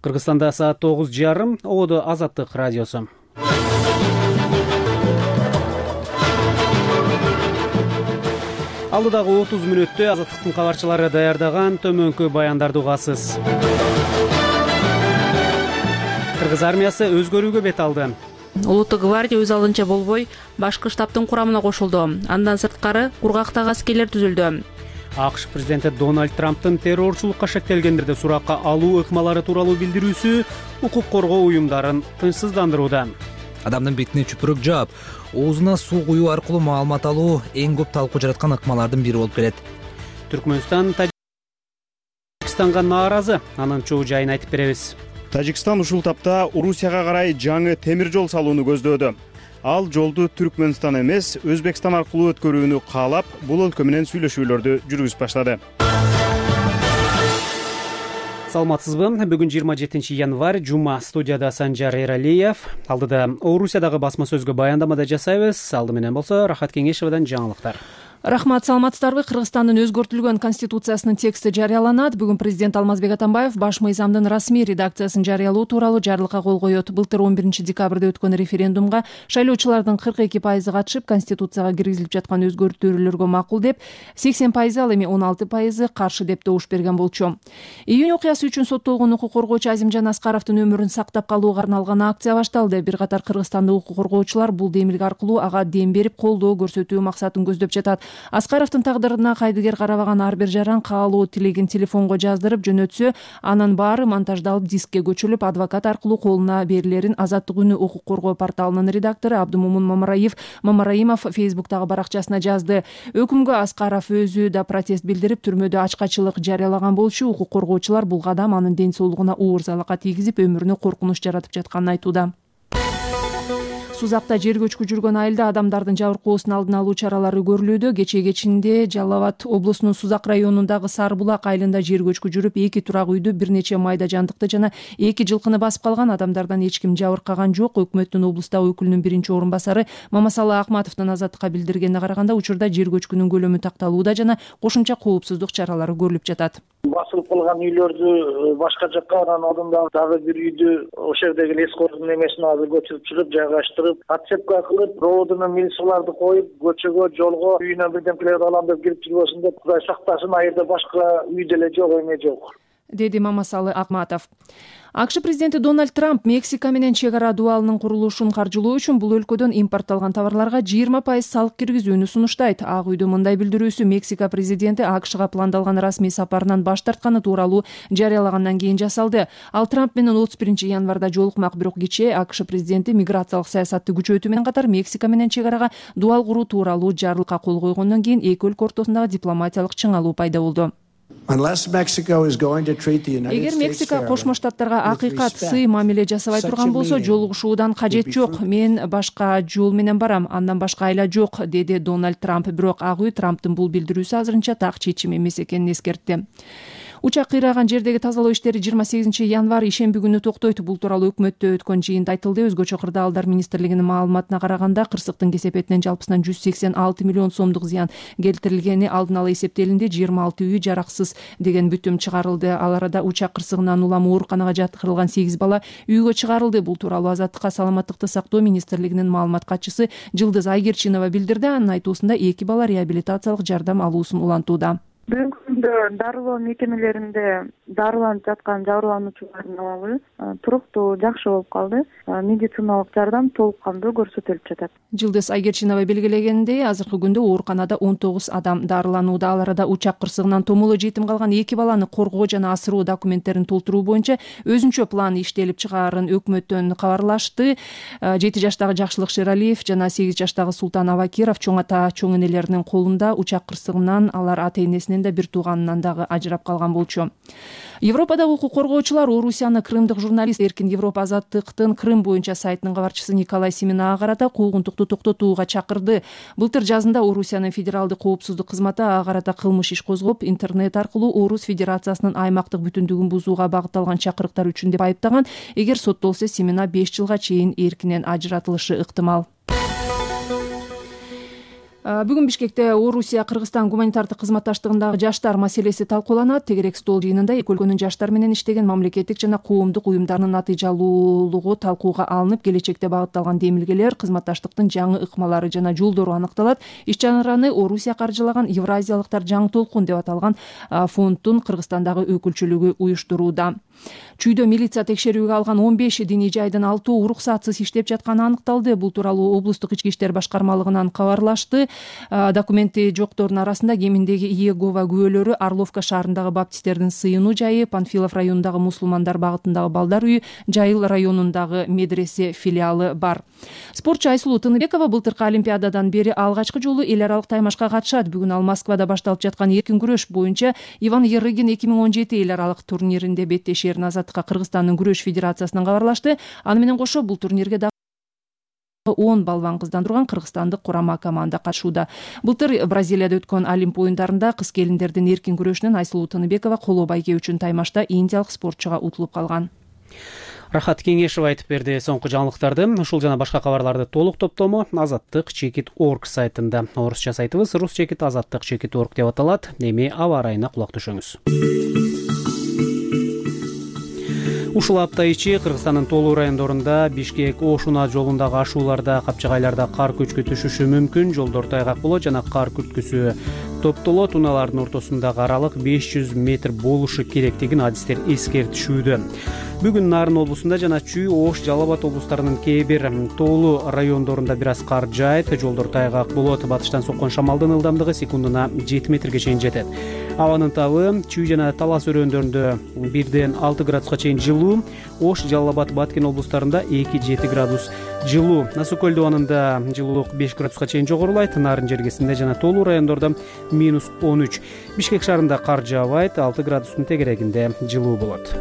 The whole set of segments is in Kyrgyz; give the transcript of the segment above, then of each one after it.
Кыргызстанда саат 9:30. Ободо Азаттык радиосу. Алдыдагы 30 мүнөттө Азаттыктын кабарчылары даярдаган төмөнкү баяндарды угасыз. Кыргыз армиясы өзгөрүүгө бет алды. Улуттук гвардия өз алдынча болбой, башкы штабтын курамына кошулду. Андан сырткары кургактагы аскерлер түзүлдү. АКШ президенти Дональд Трамптын террорчулукка шектелгендерди суракка алуу ыкмалары тууралуу билдирүүсү укук коргоо уюмдарын тынчсыздандырууда. Адамдын бетине чүпүрөк жаап, оозуна суу куюу аркылуу маалымат алуу эң көп талкуу жараткан ыкмалардын бири болуп келет. Түркмөнстан Тажикстанга нааразы. Анын чоо жайын айтып беребиз. Тажикстан ушул тапта Орусияга карай жаңы темир жол салууну көздөөдү. Ал жолду Түркмөнстан эмес, Өзбекстан аркылуу өткөрүүнү каалап, бул өлкө менен сүйлөшүүлөрдү жүргүзүп баштады. Саламатсызбы? Бүгүн 27 январь, жума. Студияда Санжар Эралиев. Алдыда Орусиядагы басма сөзгө баяндамада жасайбыз. Алды менен болсо Рахат Кеңешевадан жаңылыктар. Рахмат, саламатсыздарбы? Кыргызстандын өзгөртүлгөн конституциясынын тексти жарыяланат. Бүгүн президент Алмазбек Атамбаев баш мыйзамдын расмий редакциясын жарыялоо тууралуу жарлыкка кол коет. Былтыр 11 декабрда өткөн референдумга шайлоочулардын 42% катышып, конституцияга киргизилип жаткан өзгөртүүлөргө макул деп, 80% ал эми 16% каршы деп добуш берген болчу. Июнь окуясы үчүн соттолгон укук коргоочу Азимжан Аскаровдун өмүрүн сактап калууга арналган акция башталды. Бир катар кыргызстандык укук коргоочулар бул демилге аркылуу ага дем берип, колдоо көрсөтүү максатын көздөп жатат. Аскаровдун тагдырына кайдыгер карабаган ар бир жаран каалоо тилегин телефонго жаздырып жөнөтсө, анын баары монтаждалып дискке көчүрүлүп, адвокат аркылуу колуна берилерин Азаттык үнү укук коргоо порталынын редактору Абдумумун Мамараимов Фейсбуктагы баракчасына жазды. Өкүмгө Аскаров өзү да протест билдирип, түрмөдө ачкачылык жарыялаган болчу. Укук коргоочулар бул кадам анын ден соолугуна оор залака тийгизип, өмүрүнө коркунуч жаратып жатканын айтууда. Сузакта жер көчкү жүргөн айылда адамдардын жабыркоосун алдын алуу чаралары көрүлүүдө. Кечинде Жалал Абад облусунун Сузак районундагы Сарбулак айылында жер көчкү жүрүп, 2 турак үйдү, бир нече майда жандыкты жана 2 жылкыны басып калган. Адамдардан эч ким жабыркаган жок. Өкмөттүн облустагы өкүлүнүн биринчи орун басары Мамасалы Акматовдун Азаттыкка билдиргенине караганда, учурда жер көчкүнүн көлөмү такталууда жана кошумча коопсуздук чаралары көрүлүп жатат. Басылып калган үйлөрдү башка жакка, анан алдында дагы бир үйдү ошол жердеги лескордун эмесине азыр көчүрүп чыгып, жайгаштырып, отцепка кылып, проводуна милицияларды коюп, көчөгө, жолго үйүнө бирдемелерди алам деп кирип жүрбөсүн деп, Кудай сактасын, айылда башка үй деле жок, эме жок, деди Мамасалы Акматов. АКШ президенти Дональд Трамп Мексика менен чек ара дубалынын курулушун каржылоо үчүн бул өлкөдөн импортталган товарларга 20% салык киргизүүнү сунуштайт. Ак үйдүн мындай билдирүүсү Мексика президенти АКШга пландалган расмий сапарынан баш тартканы тууралуу жарыялагандан кийин жасалды. Ал Трамп менен 31 январда жолукмак, бирок кечээ АКШ президенти миграциялык саясатты күчөтүү менен катар Мексика менен чек арага дубал куруу тууралуу жарлыкка кол койгондон кийин эки өлкө ортосундагы дипломатиялык чыңалуу пайда болду. Эгер Мексика Кошмо Штаттарга акыйкат сый мамиле жасабай турган болсо, жолугушуудан кажет жок. Мен башка жол менен барам, андан башка айла жок, деди Дональд Трамп. Бирок Ак үй Трамптын бул билдирүүсү азырынча так чечим эмес экенин эскертти. Учак кыйраган жердеги тазалоо иштери 28 январь ишемби күнү токтойт. Бул тууралуу өкмөттө өткөн жыйында айтылды. Өзгөчө кырдаалдар министрлигинин маалыматына караганда, кырсыктын кесепетинен жалпысынан 186 миллион сомдук зыян келтирилгени алдын ала эсептелинди. 26 үй жараксыз деген бүтүм чыгарылды. Ал арада учак кырсыгынан улам ооруканага жаткырылган 8 бала үйгө чыгарылды. Бул тууралуу Азаттыкка саламаттыкты сактоо министрлигинин маалымат катчысы Жылдыз Айгерчинова билдирди. Анын айтуусунда 2 бала реабилитациялык жардам алуусун улантууда. Бүгүнкү күндө дарылоо мекемелеринде дарыланып жаткан жабырлануучулардын абалы туруктуу, жакшы болуп калды. Медициналык жардам толук кандуу көрсөтүлүп жатат. Жылдыз Айгерчинова белгилегендей, азыркы күндө ооруканада 19 адам дарыланууда. Ал арада учак кырсыгынан томоло жетим калган 2 баланы коргоо жана асыруу документтерин толтуруу боюнча өзүнчө план иштелип чыгаарын өкмөттөн кабарлашты. 7 жаштагы Жакшылык Шералиев жана 8 жаштагы Султан Абакиров чоң ата, чоң энелеринин колунда. Учак кырсыгынан алар ата-энесинен да бир тууганынан дагы ажырап калган болчу. Европадагы укук коргоочулар Орусияны крымдык журналист Эркин Европа Азаттыктын Крым боюнча сайтынын кабарчысы Николай Семенага карата куугунтукту токтотууга чакырды. Былтыр жазында Орусиянын федералдык коопсуздук кызматы ага карата кылмыш иш козгоп, интернет аркылуу Орус Федерациясынын аймактык бүтүндүгүн бузууга багытталган чакырыктар үчүн деп айыптаган. Эгер соттолсо, Семена 5 жылга чейин эркинен ажыратылышы ыктымал. Бүгүн Бишкекте Орусия Кыргызстан гуманитардык кызматташтыгындагы жаштар маселеси талкууланат. Тегерек стол жыйынында эки өлкөнүн жаштар менен иштеген мамлекеттик жана коомдук уюмдарынын натыйжалуулугу талкууга алынып, келечекте багытталган демилгелер, кызматташтыктын жаңы ыкмалары жана жолдору аныкталат. Иш-чараны Орусия каржылаган Евразиялыктар жаңы толкун деп аталган фонддун Кыргызстандагы өкүлчүлүгү уюштурууда. Чүйдө милиция текшерүүгө алган 15 диний жайдын 6 уруксатсыз иштеп жатканы аныкталды. Бул тууралуу облустук ички иштер башкармалыгынан кабарлашты. Документи жоктордун арасында кеминдеги Иегова күбөлөрү, Орловка шаарындагы баптисттердин сыйынуу жайы, Панфилов районундагы мусулмандар багытындагы балдар үйү, Жайыл районундагы медресе филиалы бар. Спортчу Айсулуу Тыныбекова былтыркы Олимпиададан бери алгачкы жолу эл аралык таймашка катышат. Бүгүн ал Москвада башталып жаткан эркин күрөш боюнча Иван Ерыгин 2017 эл аралык турниринде беттешерин Азаттыкка Кыргызстандын күрөш федерациясынан кабарлашты. Аны менен кошо бул турнирге 10 балбан кыздан турган кыргызстандык курама команда катышууда. Былтыр Бразилияда өткөн Олимп оюндарында кыз келиндердин эркин күрөшүнөн Айсулуу Тыныбекова коло байге үчүн таймашта индиялык спортчуга утулуп калган. Рахат Кеңешева айтып берди соңку жаңылыктарды. Ушул жана башка кабарларды толук топтому Азаттык.org сайтында. Орусча сайтыбыз rus.azаттык.org деп аталат. Эми аба ырайына кулак түшөңүз. Ушул апта ичи Кыргызстандын тоолуу райондорунда Бишкек-Ошуна жолундагы ашууларда, капчыгайларда кар көчкү түшүшү мүмкүн. Жолдор тайгак болот жана кар күрткүсү топтолот. Унаалардын ортосундагы аралык 500 метр болушу керектигин адистер эскертишүүдө. Бүгүн Нарын облусунда жана Чүй, Ош, Жалал Абад облустарынын кээ бир тоолуу райондорунда бир аз кар жаайт. Жолдор тайгак болот. Батыштан соккон шамалдын ылдамдыгы секундуна 7 метрге чейин жетет. Абанын табы Чүй жана Талас өрөөндөрүндө 1-ден 6 градуска чейин жылуу. Ош, Жалал Абад, Баткен облустарында 2-7 градус жылуу. Насу көл дубанында жылуулук 5 градуска чейин жогорулайт. Нарын жергесинде жана тоолуу райондордо -13. Бишкек шаарында кар жаабайт. 6 градустун тегерегинде жылуу болот.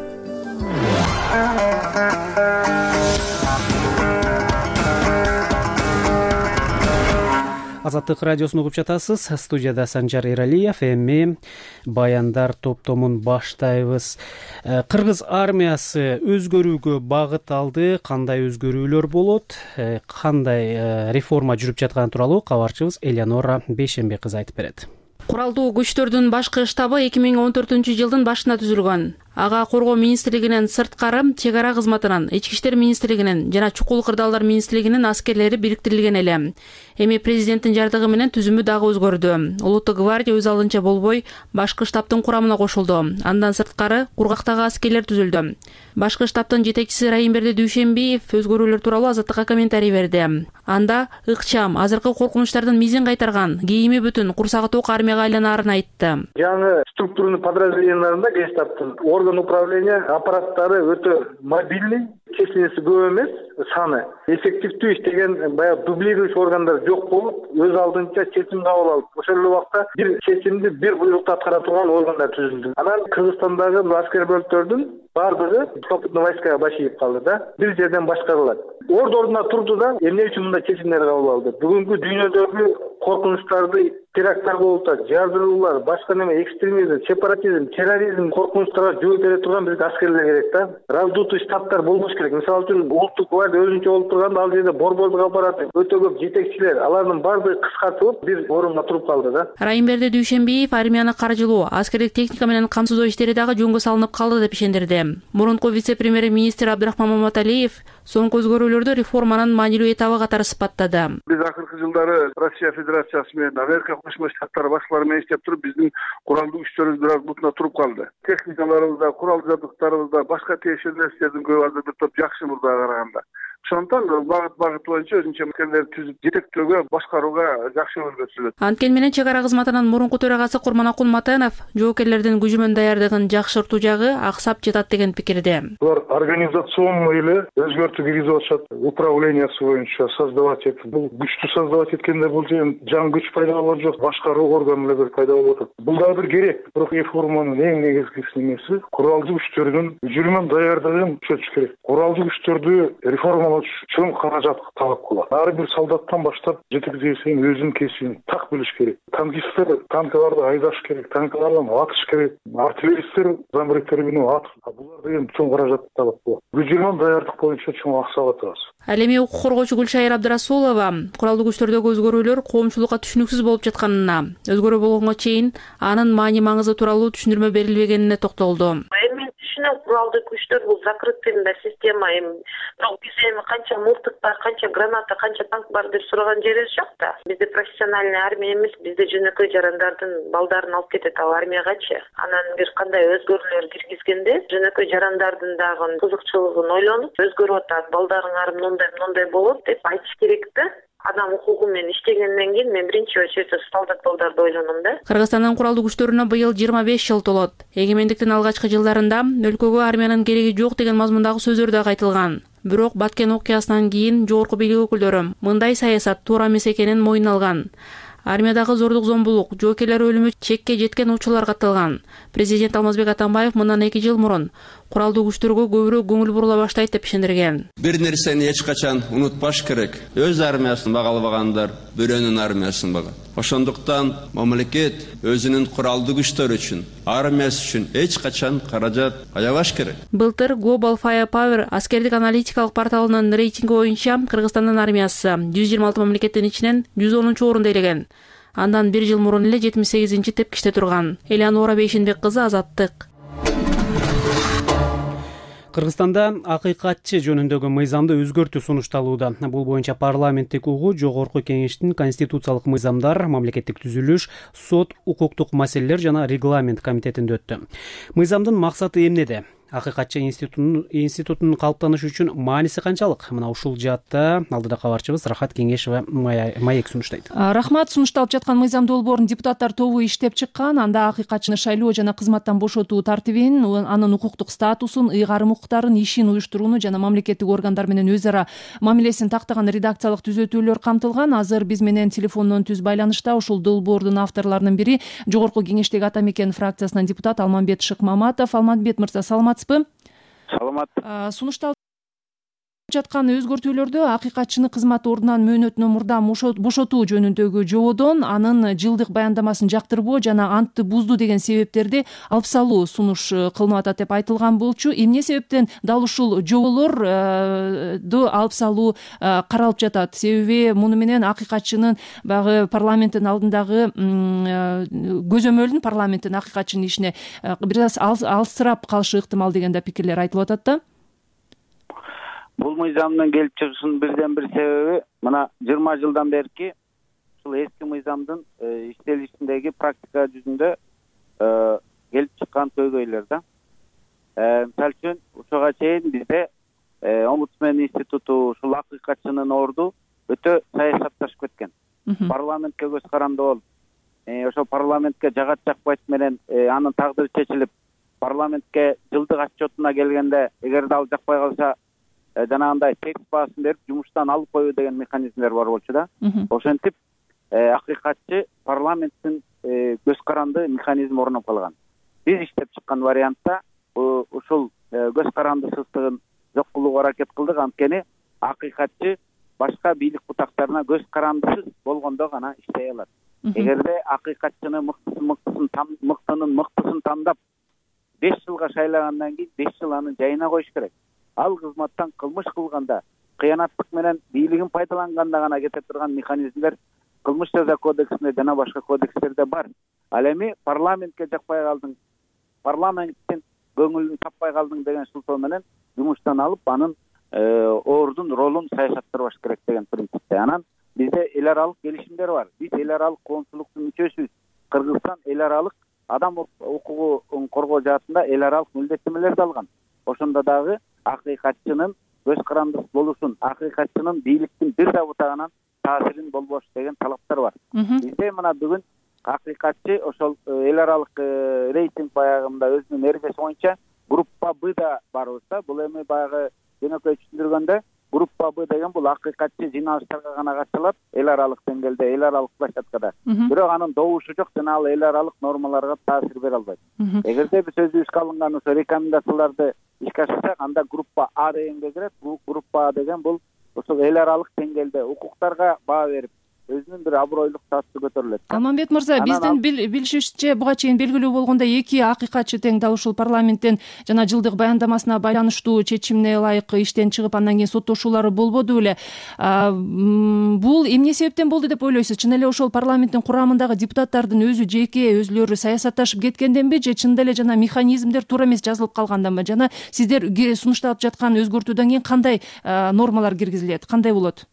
Азаттык радиосун угуп жатасыз. Студияда Санжар Эралиев. Эми баяндар топтомун баштайбыз. Кыргыз армиясы өзгөрүүгө багыт алды. Кандай өзгөрүүлөр болот? Кандай реформа жүрүп жатканы тууралуу кабарчыбыз Элеонора Бейшенбек кызы айтып берет. Куралдуу күчтөрдүн башкы штабы 2014-жылдын башында түзүлгөн. Ага Коргоо министрлигинин сырткары, чек ара кызматынын, Ички иштер министрлигинин жана чукул кырдаалдар министрлигинин аскерлери бириктирилген эле. Эми президенттин жардыгы менен түзүмү дагы өзгөрдү. Улуттук гвардия өз алдынча болбой, башкы штабтын курамына кошулду. Андан сырткары кургактагы аскерлер түзүлдү. Башкы штабтын жетекчиси Райымберди Дүйшенбиев өзгөрүүлөр тууралуу Азаттыкка комментарий берди. Анда ыкчам, азыркы коркунучтардын мизин кайтарган, кийими бүтүн, курсагы ток армияга айланаарын айтты. Жаңы структурный подразделенияларында Гестаптын орган управления аппараттары өтө мобильный, численности көп эмес, саны эффективдүү иштеген, баягы дублирующий органдар жок болуп, өз алдынча чечим кабыл алып, ошол эле убакта бир чечимди бир буйрукту аткара турган органдар түзүлдү. Анан Кыргызстандагы аскер бөлүктөрдүн бардыгы сухопутный войскага башыйып калды да, бир жерден башкарылат. Ордуна турду да, эмне үчүн мындай чечимдер кабыл алды? Бүгүнкү дүйнөдөгү коркунучтарды, теракттар болуп атат, жардыруулар, башка неме, экстремизм, сепаратизм, терроризм коркунучтарга жооп бере турган бизге аскерлер керек да. Раздутый штабтар болбош керек. Мисалы үчүн улуттук гвардия өзүнчө болуп турганда, ал жерде борбордук аппарат, өтө көп жетекчилер, алардын баардыгы кыскартылып бир орунга туруп калды да. Райымберди Дүйшенбиев армияны каржылоо, аскердик техника менен камсыздоо иштери дагы жөнгө салынып калды деп ишендирди. Мурунку вице-премьер-министр Абдрахман Маматалиев соңку өзгөрүүлөрдү реформанын маанилүү этабы катары сыпаттады. Биз акыркы жылдары Россия Федерациясы менен Америка Кошмо Штаттары башкалары менен иштеп туруп, биздин куралдуу күчтөрүбүз бир аз бутуна туруп калды. Техникаларыбызда, курал жабдыктарыбызда, башка тиешелүү нерселердин көбү азыр бир топ жакшы мурдага караганда. Ошондон багыт боюнча өзүнчө мекемелерди түзүп, жетектөөгө, башкарууга жакшы өргө түзүлөт. Анткени менен чек ара кызматынын мурунку төрагасы Курманакул Матанов жоокерлердин күжүмөн даярдыгын жакшыртуу жагы аксап жатат деген пикирде. Булар организационный эле өзгөртүү киргизип атышат, управлениясы боюнча создавать этип. Бул күчтү создавать эткенде бул жаңы күч пайда болот жок, башкаруу органы эле пайда болуп атат. Бул дагы бир керек. Бирок реформанын эң негизгиси немеси куралдуу күчтөрдүн күжүмөн даярдыгын күчөтүш керек. Куралдуу күчтөрдү реформа алыш чоң каражат талап кылат. Ар бир солдаттан баштап жетекчиге чейин өзүнүн кесибин так билиш керек. Танкисттер танкаларды айдаш керек, танкалардан атыш керек, артиллеристтер замбректер менен атыш. Булар деген чоң каражат талап кылат. Бюджеттен даярдык боюнча чоң акча атабыз. Ал эми укук коргоочу Гүлшайыр Абдрасулова куралдуу күчтөрдөгү өзгөрүүлөр коомчулукка түшүнүксүз болуп жатканына, өзгөрүү болгонго чейин анын маани маңызы тууралуу түшүндүрмө берилбегенине токтолду. Мен түшүнөм, куралдуу күчтөр бул закрытый система, бирок биз эми канча мылтык бар, канча граната, канча танк бар деп сураган жерибиз жок да. Бизде профессиональный армия эмес, бизде жөнөкөй жарандардын балдарын алып кетет ал армиягачы. Анан бир кандай өзгөрүүлөр киргизгенде жөнөкөй жарандардын дагы кызыкчылыгын ойлонуп, өзгөрүп атат, балдарыңар мындай болот деп айтыш керек да. Адам укугу менен иштегенден кийин мен биринчи очередде солдат балдарды ойлоном да. Кыргызстандын куралдуу күчтөрүнө быйыл 25 жыл толот. Эгемендиктин алгачкы жылдарында өлкөгө армиянын кереги жок деген мазмундагы сөздөр да айтылган. Бирок Баткен окуясынан кийин жогорку бийлик өкүлдөрү мындай саясат туура эмес экенин мойнуна алган. Армиядагы зордук зомбулук, жоокерлер өлүмү чекке жеткен учурлар катталган. Президент Алмазбек Атамбаев мындан 2 жыл мурун куралдуу күчтөргө көбүрөөк көңүл бурула баштайт деп ишендирген. Бир нерсени эч качан унутпаш керек. Өз армиясын багалбагандар бирөөнүн армиясын багат. Ошондуктан мамлекет өзүнүн куралдуу күчтөрү үчүн, армиясы үчүн эч качан каражат аябаш керек. Былтыр Global Firepower аскердик аналитикалык порталынын рейтинги боюнча Кыргызстандын армиясы 126 мамлекеттин ичинен 110-чу орунда элеген. Андан 1 жыл мурун эле 78-чи тепкичте турган. Элеонора Бейшенбек кызы, Азаттык. Кыргызстанда акыйкатчы жөнүндөгү мыйзамды өзгөртүү сунушталууда. Бул боюнча парламенттик угуу Жогорку Кеңештин конституциялык мыйзамдар, мамлекеттик түзүлүш, сот, укуктук маселелер жана регламент комитетинде өттү. Мыйзамдын максаты эмнеде? Акыйкатчы институтунун калыптанышы үчүн мааниси канчалык? Мына ушул жаатта алдыда кабарчыбыз Рахат Кеңешова маек сунуштайт. Рахмат. Сунушталып жаткан мыйзам долбоорун депутаттар тобу иштеп чыккан. Анда акыйкатчыны шайлоо жана кызматтан бошотуу тартибин, анын укуктук статусун, ыйгарым укуктарын, ишин уюштурууну жана мамлекеттик органдар менен өз ара мамилесин тактаган редакциялык түзөтүүлөр камтылган. Азыр биз менен телефондон түз байланышта ушул долбоордун авторлорунун бири Жогорку Кеңештеги Ата Мекен фракциясынан депутат Алмамбет Шыкмаматов. Алмамбет мырза, саламатсызбы? Саламат. Сунушталып жаткан өзгөртүүлөрдө акыйкатчыны кызмат ордунан мөөнөтүнөн мурда бошотуу жөнүндөгү жободон анын жылдык баяндамасын жактырбоо жана антты бузду деген себептерди алып салуу сунуш кылынып атат деп айтылган болчу. Эмне себептен дал ушул жоболорду алып салуу каралып жатат? Себеби муну менен акыйкатчынын баягы парламенттин алдындагы көзөмөлүн парламенттин акыйкатчынын ишине бир аз алыстырап калышы ыктымал деген да пикирлер айтылып атат да. Бул мыйзамдын келип чыгышынын бирден бир себеби мына 20 жылдан берки ушул эски мыйзамдын иштелишиндеги практика жүзүндө келип чыккан көйгөйлөр да. Мисалы үчүн ушуга чейин бизде омбудсмен институту ушул акыйкатчынын орду өтө саясатташып кеткен. Парламентке көз каранды болуп, ошол парламентке жагат жакпайт менен анын тагдыры чечилип, парламентке жылдык отчетуна келгенде эгерде ал жакпай калса жанагындай текст баасын берип жумуштан алып коюу деген механизмдер бар болчу да. Ошентип акыйкатчы парламенттин көз каранды механизм орноп калган. Биз иштеп чыккан вариантта ушул көз карандысыздыгын жок кылууга аракет кылдык. Анткени акыйкатчы башка бийлик бутактарына көз карандысыз болгондо гана иштей алат. Эгерде акыйкатчыны мыктысын тандап 5 жылга шайлагандан кийин 5 жыл аны жайына коюш керек. Ал кызматтан кылмыш кылганда, кыянаттык менен бийлигин пайдаланганда гана кете турган механизмдер кылмыш жаза кодексинде жана башка кодекстерде бар. Ал эми парламентке жакпай калдың, парламенттин көңүлүн таппай калдың деген шылтоо менен жумуштан алып, анын ордун, ролун саясаттырбаш керек деген принципте. Анан бизде эл аралык келишимдер бар. Биз эл аралык коомчулуктун мүчөсүбүз. Кыргызстан эл аралык адам укугун коргоо жаатында эл аралык милдеттенмелерди алган. Ошондо дагы акыйкатчынын көз карандысыз болушун, акыйкатчынын бийликтин бир да бутагынан таасирин болбош деген талаптар бар. Бизде мына бүгүн акыйкатчы ошол эл аралык рейтинг баягында өзүнүн эрежеси боюнча группа Б'да барбыз да. Бул эми баягы жөнөкөй түшүндүргөндө группа Б деген бул акыйкатчы жыйналыштарга гана катышалат, эл аралык деңгээлде, эл аралык площадкада. Бирок анын добушу жок жана ал эл аралык нормаларга таасир бере албайт. Эгерде биз өзүбүзгө алынган ошо рекомендацияларды ишке ашырсак, анда группа А дегенге кирет. Группа А деген бул ошол эл аралык деңгээлде укуктарга баа берип, өзүнүн бир абройлук статусу көтөрүлөт. Алмамбет мырза, биздин билишибизче буга чейин белгилүү болгондой эки акыйкатчы тең дал ушул парламенттен жана жылдык баяндамасына байланыштуу чечимине ылайык иштен чыгып, андан кийин соттошуулары болбоду беле. Бул эмне себептен болду деп ойлойсуз? Чын эле ошол парламенттин курамындагы депутаттардын өзлөрү саясатташып кеткенденби, же чында эле жана механизмдер туура эмес жазылып калганданбы? Жана сиздер сунушталып жаткан өзгөртүүдөн кийин кандай нормалар киргизилет, кандай болот?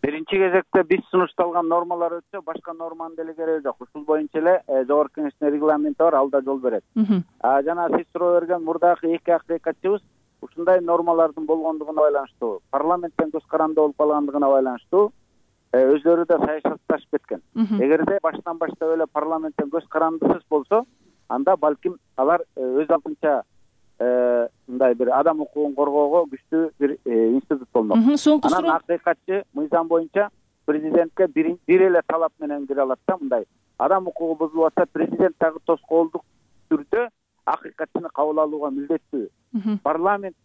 Биринчи кезекте биз сунушталган нормалар өтсө, башка норманын деле кереги жок. Ушул боюнча эле Жогорку Кеңештин регламенти бар, ал да жол берет. Жана сиз суроо берген мурдагы эки акыйкатчыбыз ушундай нормалардын болгондугуна байланыштуу, парламенттен көз каранды болуп калгандыгына байланыштуу өзлөрү да саясатташып кеткен. Эгерде баштан баштап эле парламенттен көз карандысыз болсо, анда балким алар өз алдынча мындай бир адам укугун коргоого күчтүү бир институт болмок. Анан акыйкатчы мыйзам боюнча президентке бир эле талап менен кире алат да, мындай адам укугу бузулуп атса, президент дагы тоскоолдук түрдө акыйкатчыны кабыл алууга милдеттүү. Парламент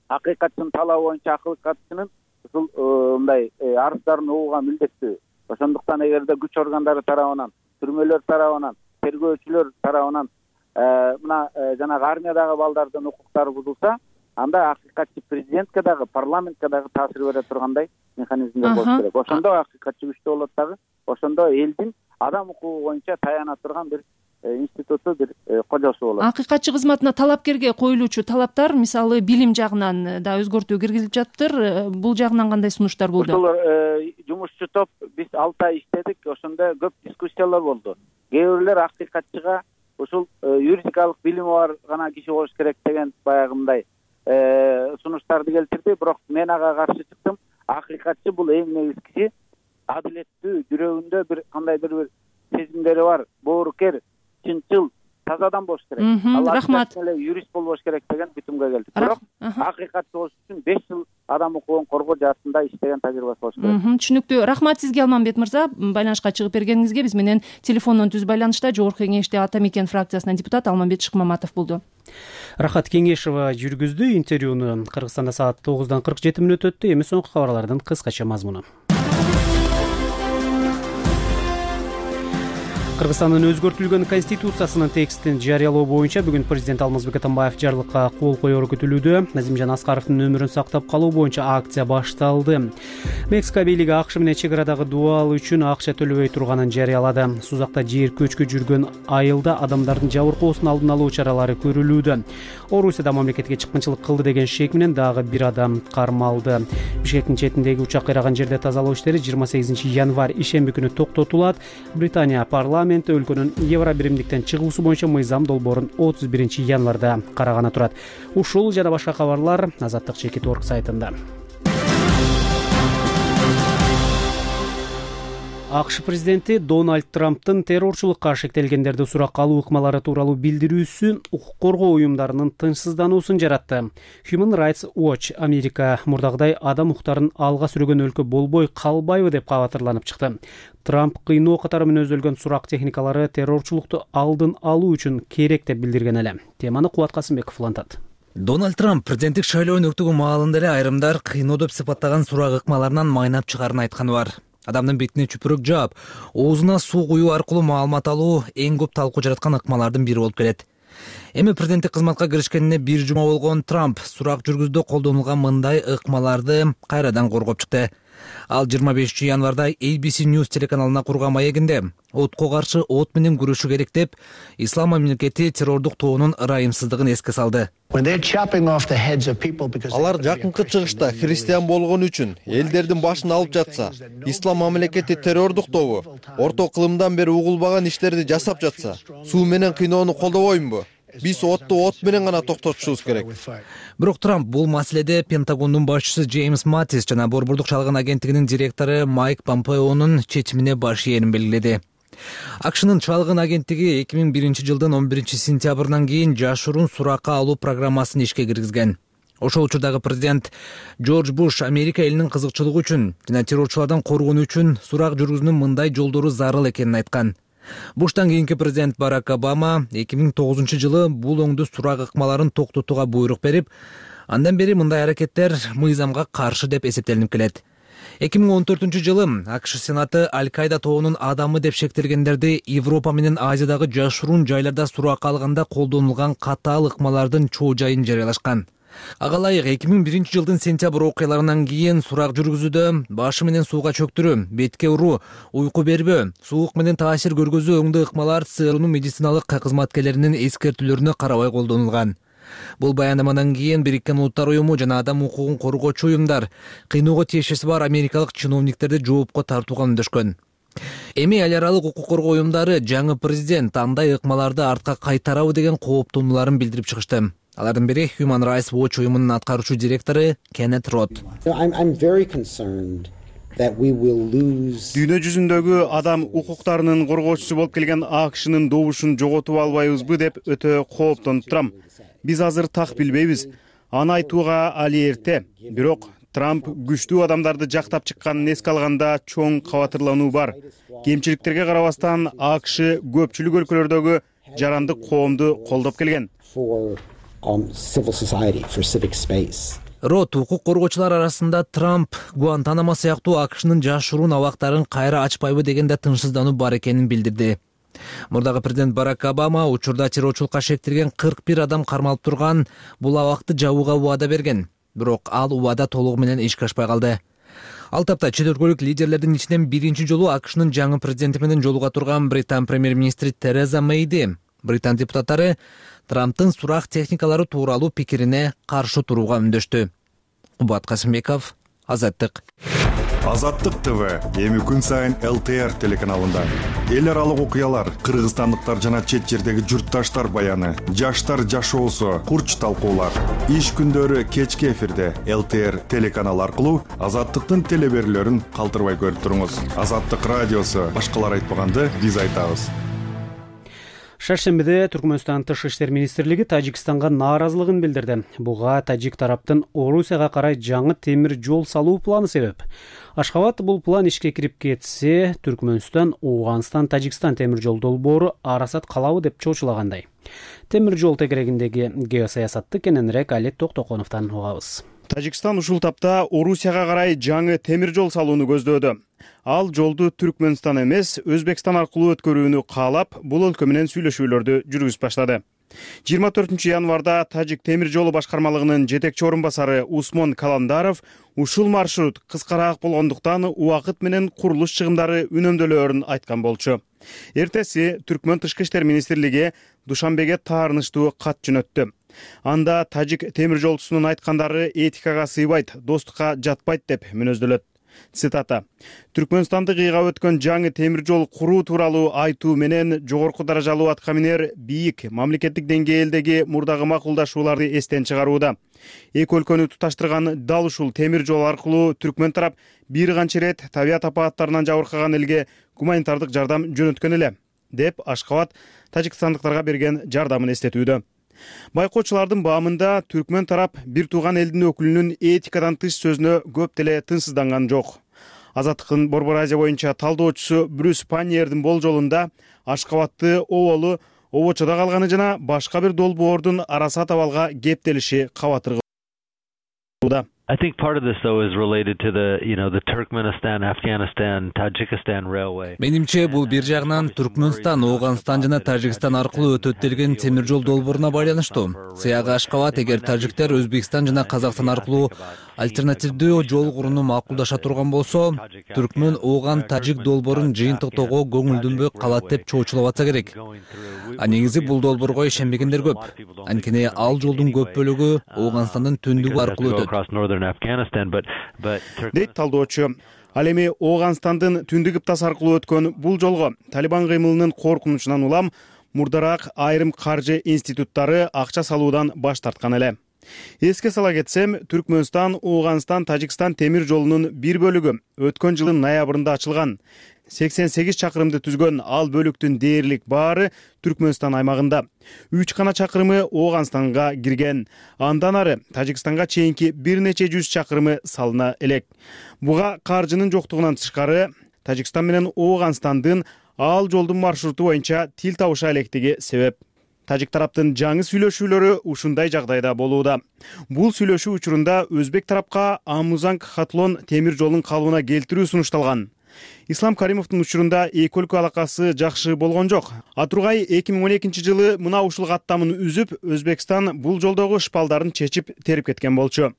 акыйкатчынын талабы боюнча акыйкатчынын ушул мындай арыздарын угууга милдеттүү. Ошондуктан эгерде күч органдары тарабынан, түрмөлөр тарабынан, тергөөчүлөр тарабынан мына жанагы армиядагы балдардын укуктары бузулса, анда акыйкатчы президентке дагы, парламентке дагы таасир бере тургандай механизмдер болуш керек. Ошондо акыйкатчы күчтүү болот дагы, ошондо элдин адам укугу боюнча таяна турган бир институту, бир кожосу болот. Акыйкатчы кызматына талапкерге коюлуучу талаптар, мисалы билим жагынан да өзгөртүү киргизилип жатыптыр. Бул жагынан кандай сунуштар болду? Ошол жумушчу топ биз 6 ай иштедик, ошондо көп дискуссиялар болду. Кээ бирлер акыйкатчыга ушул юридикалык билими бар гана киши болуш керек деген баягындай сунуштарды келтирди. Бирок мен ага каршы чыктым. Акыйкатчы бул эң негизги киши, адилеттүү, жүрөгүндө бир кандай бир сезимдери бар, боорукер, чынчыл, таза адам болуш керек. Рахмат. Ал эле юрист болбош керек деген бүтүмгө келдик. Бирок акыйкатчы болуш үчүн 5 жыл адам укугун коргоо жаатында иштеген тажрыйбасы болуш керек. Түшүнүктүү. Рахмат сизге, Алмамбет мырза, байланышка чыгып бергениңизге. Биз менен телефондон түз байланышта Жогорку Кеңеште Ата Мекен фракциясынан депутат Алмамбет Шыкмаматов болду. Рахат Кеңешова жүргүздү интервьюну. Кыргызстанда саат 9:47 өттү. Эми соңку кабарлардын кыскача мазмуну. Кыргызстандын өзгөртүлгөн конституциясынын текстин жарыялоо боюнча бүгүн президент Алмазбек Атамбаев жарлыкка кол коеру күтүлүүдө. Назимжан Аскаровдун өмүрүн сактап калуу боюнча акция башталды. Мексика бийлиги АКШ менен чек арадагы дубал үчүн акча төлөбөй турганын жарыялады. Сузакта жер көчкү жүргөн айылда адамдардын жабыркоосун алдын алуу чаралары көрүлүүдө. Орусияда мамлекетке чыккынчылык кылды деген шек менен дагы бир адам кармалды. Бишкектин четиндеги учак кыйраган жерде тазалоо иштери 28 январь ишемби күнү токтотулат. Британия парламенти өлкөнүн евро биримдиктен чыгуусу боюнча мыйзам долбоорун 31 январда караганы турат. Ушул жана башка кабарлар Азаттык Чекит.org сайтында. АКШ президенти Дональд Трамптын террорчулукка шектелгендерди суракка алуу ыкмалары тууралуу билдирүүсү укук коргоо уюмдарынын тынчсыздануусун жаратты. Human Rights Watch Америка мурдагыдай адам укуктарын алга сүрөгөн өлкө болбой калбайбы деп кабатырланып чыкты. Трамп кыйноо катары мүнөздөлгөн сурак техникалары террорчулукту алдын алуу үчүн керек деп билдирген эле. Теманы Кубат Касымбеков улантат. Дональд Трамп президенттик шайлоонун өктөгөн маалында эле айрымдар кыйноо деп сыпаттаган сурак ыкмаларынан майнап чыгаарын айтканы бар. Адамдын бетине чүпүрөк жаап, оозуна суу куюу аркылуу маалымат алуу эң көп талкуу жараткан ыкмалардын бири болуп келет. Эми президенттик кызматка киришкенине бир жума болгон Трамп сурак жүргүздө колдонулган мындай ыкмаларды кайрадан коргоп чыкты. Ал 25 январда ABC News телеканалына курган маегинде отко каршы от менен күрөшүү керек деп, Ислам мамлекети террордук тобунун ырайымсыздыгын эске салды. Алар жакынкы чыгышта христиан болгон үчүн элдердин башын алып жатса, Ислам мамлекети террордук тобу орто кылымдан бери угулбаган иштерди жасап жатса, суу менен кыйноону колдобоймунбу? Биз отту от менен гана токтотушубуз керек. Бирок Трамп бул маселеде Пентагондун башчысы Джеймс Матис жана Борбордук чалгын агенттигинин директору Майк Помпеонун чечимине баш ээрин белгиледи. АКШнын чалгын агенттиги 2001 жылдын 11 сентябрынан кийин жашыруун суракка алуу программасын ишке киргизген. Ошол учурдагы президент Джордж Буш Америка элинин кызыкчылыгы үчүн жана террорчулардан коргонуу үчүн сурак жүргүзүүнүн мындай жолдору зарыл экенин айткан. Буштан кийинки президент Барак Обама 2009-жылы бул оңдуу сурак ыкмаларын токтотууга буйрук берип, андан бери мындай аракеттер мыйзамга каршы деп эсептелинип келет. 2014-жылы АКШ Сенаты Аль-Кайда тобунун адамы деп шектелгендерди Европа менен Азиядагы жашыруун жайларда суракка алганда колдонулган катаал ыкмалардын чоо жайын жарыялашкан. Ага ылайык 2001-жылдын сентябрь окуяларынан кийин сурак жүргүзүүдө башы менен сууга чөктүрүү, бетке уруу, уйку бербөө, суук менен таасир көргөзүү оңдуу ыкмалар ЦРУнун медициналык кызматкерлеринин эскертүүлөрүнө карабай колдонулган. Бул баяндамадан кийин Бириккен Улуттар уюму жана адам укугун коргоочу уюмдар кыйноого тиешеси бар америкалык чиновниктерди жоопко тартууга үндөшкөн. Эми эл аралык укук коргоо уюмдары жаңы президент андай ыкмаларды артка кайтарабы деген кооптонууларын билдирип чыгышты. Алардын бири Human Rights Watch уюмунун аткаруучу директору Кеннет Рот. Дүйнө жүзүндөгү адам укуктарынын коргоочусу болуп келген АКШнын добушун жоготуп албайбызбы деп өтө кооптонуп турам. Биз азыр так билбейбиз. Аны айтууга али эрте. Бирок Трамп күчтүү адамдарды жактап чыкканын эске алганда чоң кабатырлануу бар. Кемчиликтерге карабастан АКШ көпчүлүк өлкөлөрдөгү жарандык коомду колдоп келген. Рот укук коргоочулар арасында Трамп Гуантанамо сыяктуу АКШнын жашыруун абактарын кайра ачпайбы дегенде тынчсыздануу бар экенин билдирди. Мурдагы президент Барак Обама учурда террорчулукка шектелген 41 адам кармалып турган бул абакты жабууга убада берген. Бирок ал убада толугу менен ишке ашпай калды. Ал тапта чет өлкөлүк лидерлердин ичинен биринчи жолу АКШнын жаңы президенти менен жолуга турган Британ премьер-министри Тереза Мейди Британ депутаттары Трамптын сурак техникалары тууралуу пикирине каршы турууга үндөштү. Кубат Касымбеков, Азаттык. Азаттык ТВ эми күн сайын ЛТР телеканалында. Эл аралык окуялар, кыргызстандыктар жана чет жердеги журтташтар баяны, жаштар жашоосу, курч талкуулар. Иш күндөрү кечки эфирде ЛТР телеканалы аркылуу Азаттыктын телеберүүлөрүн калтырбай көрүп туруңуз. Азаттык радиосу башкалар айтпаганды биз айтабыз. Шаршембиде Түркмөнстан Тышкы иштер министрлиги Тажикстанга нааразылыгын билдирди. Буга тажик тараптын Орусияга карай жаңы темир жол салуу планы себеп. Ашхабад бул план ишке кирип кетсе, Түркмөнстан Ооганстан Тажикстан темир жол долбоору арасат калабы деп чоочулагандай. Темир жол тегерегиндеги геосаясатты кененирээк Алет Токтоконовдон угабыз. Тажикстан ушул тапта Орусияга карай жаңы темир жол салууну көздөөдө. Ал жолду Түркмөнстан эмес, Өзбекстан аркылуу өткөрүүнү каалап, бул өлкө менен сүйлөшүүлөрдү жүргүзүп баштады. 24-январда Тажик темир жолу башкармалыгынын жетекчи орун басары Усмон Каландаров ушул маршрут кыскараак болгондуктан убакыт менен курулуш чыгымдары үнөмдөлөөрүн айткан болчу. Эртеси Түркмөн Тышкы иштер министрлиги Душанбеге таарынычтуу кат жөнөттү. Анда тажик темир жолчусунун айткандары этикага сыйбайт, достукка жатпайт деп мүнөздөлөт. Цитата: Түркмөнстанды кыйгап өткөн жаңы темир жол куруу тууралуу айтуу менен жогорку даражалуу аткаминер бийик мамлекеттик деңгээлдеги мурдагы макулдашууларды эстен чыгарууда. Эки өлкөнү туташтырган дал ушул темир жол аркылуу Түркмөн тарап бир канча ирет табият апааттарынан жабыркаган элге гуманитардык жардам жөнөткөн эле, деп Ашхабад тажикстандыктарга берген жардамын эстетүүдө. Байкоочулардын баамында Түркмөн тарап бир тууган элдин өкүлүнүн этикадан тыш сөзүнө көп деле тынчсызданган жок. Азаттыктын Борбор Азия боюнча талдоочусу Брюс Паньердин болжолунда Ашхабадты оболу обочодо калганы жана башка бир долбоордун арасат абалга кептелиши кабатыргылууда. I think part of this though is related to the Turkmenistan, Afghanistan, Tajikistan railway. Менимче бул бир жагынан Түркмөнстан, Ооганстан жана Тажикстан аркылуу өтөт делген темир жол долбооруна байланыштуу. Сыягы Ашхабад эгер тажиктер Өзбекстан жана Казакстан аркылуу альтернативдүү жол курууну макулдаша турган болсо, Түркмөн Ооган Тажик долбоорун жыйынтыктоого көңүлдөнбөй калат деп чоочулап атса керек. А негизи бул долбоорго ишенбегендер көп. Анткени ал жолдун көп бөлүгү Ооганстандын түндүгү аркылуу өтөт. Дейт талдоочу. Ал эми Ооганстандын түндүк ыптасы аркылуу өткөн бул жолго Талибан кыймылынын коркунучунан улам мурдараак айрым каржы институттары акча салуудан баш тарткан эле. Эске сала кетсем, Түркмөнстан, Ооганстан, Тажикстан темир жолунун бир бөлүгү өткөн жылдын ноябрында ачылган. 88 чакырымды түзгөн ал бөлүктүн дээрлик баары Түркмөнстан аймагында. 3 гана чакырымы Ооганстанга кирген. Андан ары Тажикстанга чейинки бир нече жүз чакырымы салына элек. Буга каржынын жоктугунан тышкары Тажикстан менен Ооганстандын Ал жолдун маршруту боюнча тил табыша электиги себеп. Тажик тараптын жаңы сүйлөшүүлөрү ушундай жагдайда болууда. Бул сүйлөшүү учурунда өзбек тарапка Амузанг-Хатлон темир жолун калыбына келтирүү сунушталган. Ислам Каримовдун учурунда эки өлкө алакасы жакшы болгон жок. Атургай 2012 жылы мына ушул каттамын үзүп, Өзбекстан бул жолдогу шпалдарын чечип терип кеткен болчу.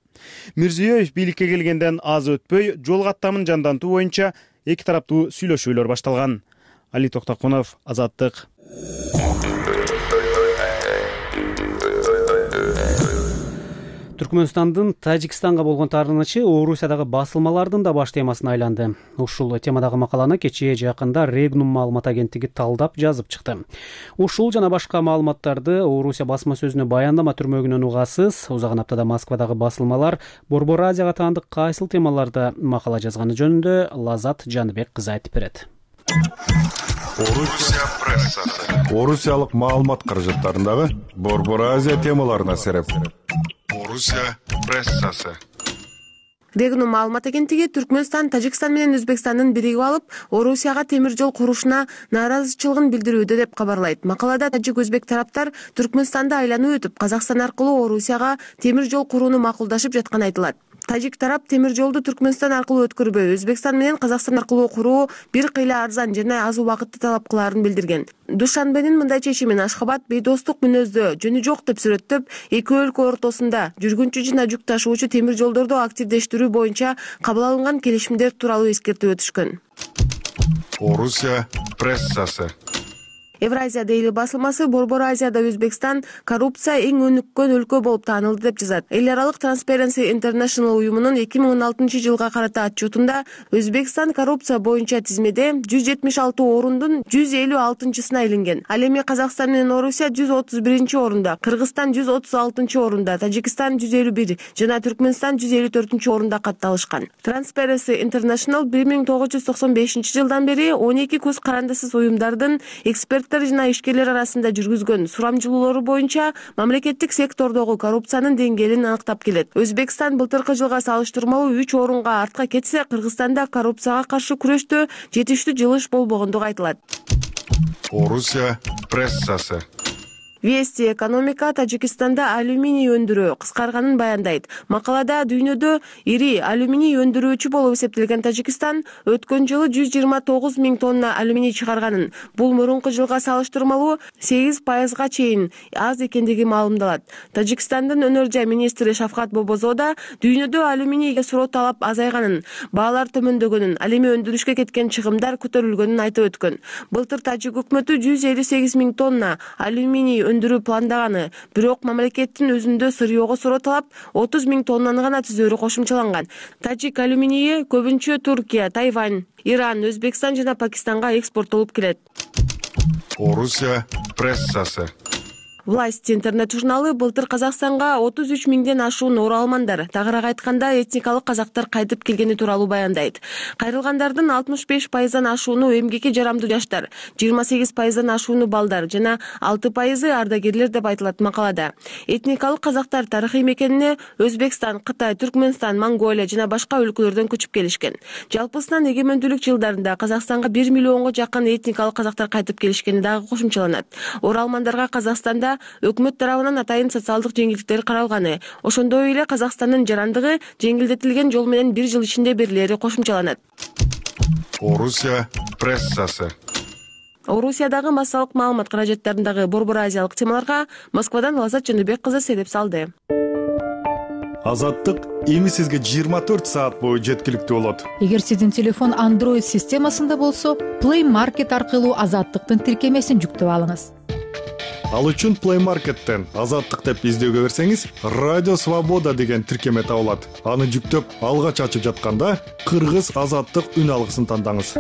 Мирзиёев бийликке келгенден аз өтпөй, жол каттамын жандантуу боюнча эки тараптуу сүйлөшүүлөр башталган. Али Токтокунов, Азаттык. Түркмөнстандын Тажикстанга болгон таарынычы Орусиядагы басылмалардын да баш темасына айланды. Ушул темадагы макаланы кечээ жакында Регнум маалымат агенттиги талдап жазып чыкты. Ушул жана башка маалыматтарды Орусия басма сөзүнө баяндама түрмөгүнөн угасыз. Узаган аптада Москвадагы басылмалар Борбор Азияга таандык кайсыл темаларда макала жазганы жөнүндө Лазат Жаныбек кызы айтып берет. Орусия прессасы. Орусиялык маалымат каражаттарындагы Борбор Азия темаларына сереп. Орусия прессасы. Регнум маалымат агенттиги Түркмөнстан, Тажикстан менен Өзбекстандын биригип алып, Орусияга темир жол курушуна нааразычылыгын билдирүүдө деп кабарлайт. Макалада тажик-өзбек тараптар Түркмөнстанды айланып өтүп, Казакстан аркылуу Орусияга темир жол курууну макулдашып жатканы айтылат. Тажик тарап темир жолду Түркмөнстан аркылуу өткөрбөй, Өзбекстан менен Казакстан аркылуу куруу бир кыйла арзан жана аз убакытты талап кылаарын билдирген. Душанбенин мындай чечимин Ашхабад бейдостук мүнөздө жөнү жок деп сүрөттөп, эки өлкө ортосунда жүргүнчү жана жүк ташуучу темир жолдорду активдештирүү боюнча кабыл алынган келишимдер тууралуу эскертип өтүшкөн. Орусия прессасы. Евразия дейли басылмасы Борбор Азияда Өзбекстан коррупция эң өнүккөн өлкө болуп таанылды деп жазат. Эл аралык Transparency International уюмунун 2016 жылга карата отчетунда Өзбекстан коррупция боюнча тизмеде 176 орундун 156-сына илинген. Ал эми Казакстан менен Орусия 131-орунда, Кыргызстан 136-орунда, Тажикстан 151 жана Түркмөнстан 154-орунда катталышкан. Transparency International 1995 жылдан бери 12 көз карандысыз уюмдардын эксперт жана ишкерлер арасында жүргүзгөн сурамжылоолору боюнча мамлекеттик сектордогу коррупциянын деңгээлин аныктап келет. Өзбекстан былтыркы жылга салыштырмалуу 3 орунга артка кетсе, Кыргызстанда коррупцияга каршы күрөштө жетиштүү жылыш болбогондугу айтылат. Орусия прессасы. Вести экономика Тажикстанда алюминий өндүрүү кыскарганын баяндайт. Макалада дүйнөдө ири алюминий өндүрүүчү болуп эсептелген Тажикстан өткөн жылы 129 000 тонна алюминий чыгарганын, бул мурунку жылга салыштырмалуу 8% чейин аз экендиги маалымдалат. Тажикстандын өнөр жай министри Шавкат Бобозода дүйнөдө алюминийге суроо талап азайганын, баалар төмөндөгөнүн, ал эми өндүрүшкө кеткен чыгымдар көтөрүлгөнүн айтып өткөн. Былтыр Тажик өкмөтү 158 000 тонна алюминий өндүрүү пландаганы, бирок мамлекеттин өзүндө сырьёго суроо талап 30 000 тоннаны гана түзөрү кошумчаланган. Тажик алюминийи көбүнчө Туркия, Тайвань, Иран, Өзбекстан жана Пакистанга экспорттолуп келет. Орусия прессасы. Власть интернет журналы былтыр Казакстанга 33 000ден ашуун оралмандар, тагыраак айтканда этникалык казактар кайтып келгени тууралуу баяндайт. Кайрылгандардын 65%дан ашууну эмгекке жарамдуу жаштар, 28%дан ашууну балдар жана 6% ардагерлер деп айтылат макалада. Этникалык казактар тарыхый мекенине Өзбекстан, Кытай, Түркмөнстан, Монголия жана башка өлкөлөрдөн көчүп келишкен. Жалпысынан эгемендүүлүк жылдарында Казакстанга 1 миллионго жакын этникалык казактар кайтып келишкени дагы кошумчаланат. Оралмандарга Казакстанда өкмөт тарабынан атайын социалдык жеңилдиктер каралганы, ошондой эле Казакстандын жарандыгы жеңилдетилген жол менен 1 жыл ичинде берилери кошумчаланат. Орусия прессасы. Орусиядагы массалык маалымат каражаттарындагы борбор азиялык темаларга Москвадан Лазат Жаныбек кызы сереп салды. Азаттык эми сизге 24 саат бою жеткиликтүү болот. Эгер сиздин телефон Android системасында болсо, Play Market аркылуу Азаттыктын тиркемесин жүктөп алыңыз. Ал үчүн Play Market'тен Азаттык деп издөөгө берсеңиз, Радио Свобода деген тиркеме табылат. Аны жүктөп, алгач ачып жатканда Кыргыз Азаттык үн алгысын тандаңыз.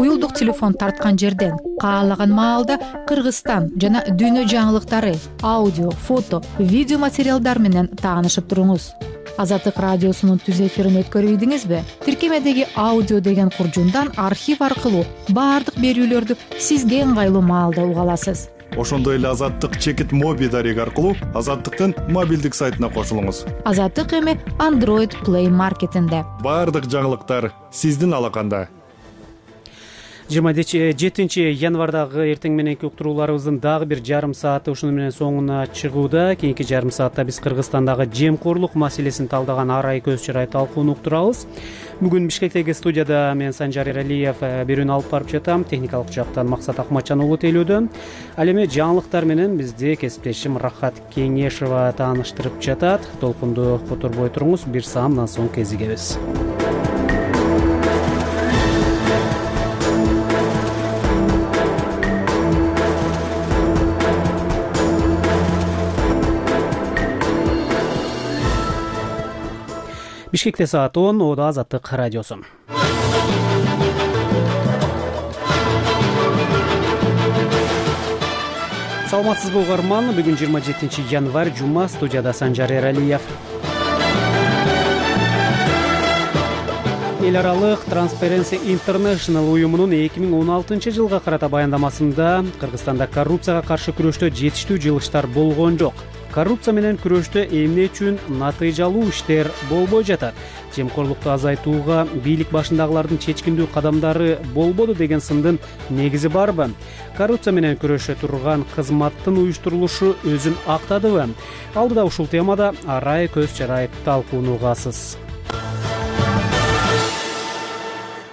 Уюлдук телефон тарткан жерден каалаган маалда Кыргызстан жана дүйнө жаңылыктары, аудио, фото, видео материалдар менен таанышып туруңуз. Азаттык радиосунун түз эфирин өткөрүбүдүңүзбү? Тиркемедеги аудио деген куржундан архив аркылуу баардык берүүлөрдү сизге ыңгайлуу маалда уга аласыз. Ошондой эле Азаттык чекит моби дареги аркылуу Азаттыктын мобилдик сайтына кошулуңуз. Азаттык эми Android Play Market'инде. Баардык жаңылыктар сиздин алаканда. 27 январдагы эртең мененки уктурууларыбыздын дагы бир жарым сааты ушуну менен соңуна чыгууда. Кийинки жарым саатта биз Кыргызстандагы жемкорлук маселесин талдаган арай көз чарай талкууну уктурабыз. Бүгүн Бишкектеги студияда мен Санжар Эралиев берүүнү алып барып жатам. Техникалык жактан Максат Акматжан уулу тейлөөдө. Ал эми жаңылыктар менен бизди кесиптешим Рахат Кеңешова тааныштырып жатат. Толкунду которбой туруңуз, бир саамдан соң кезигебиз. Бишкекте саат 10, Ода Азаттык радиосу. Саламатсызбы угарман, бүгүн 27 январь жума, студияда Санжар Эралиев. Эл аралык Transparency International уюмунун 2016 жылга карата баяндамасында Кыргызстанда коррупцияга каршы күрөштө жетиштүү жылыштар болгон жок. Коррупция менен күрөштө эмне үчүн натыйжалуу иштер болбой жатат? Жемкорлукту азайтууга бийлик башындагылардын чечкиндүү кадамдары болбоду деген сындын негизи барбы? Коррупция менен күрөшө турган кызматтын уюштурулушу өзүн актадыбы? Алдыда ушул темада арай көз чарай талкууну угасыз.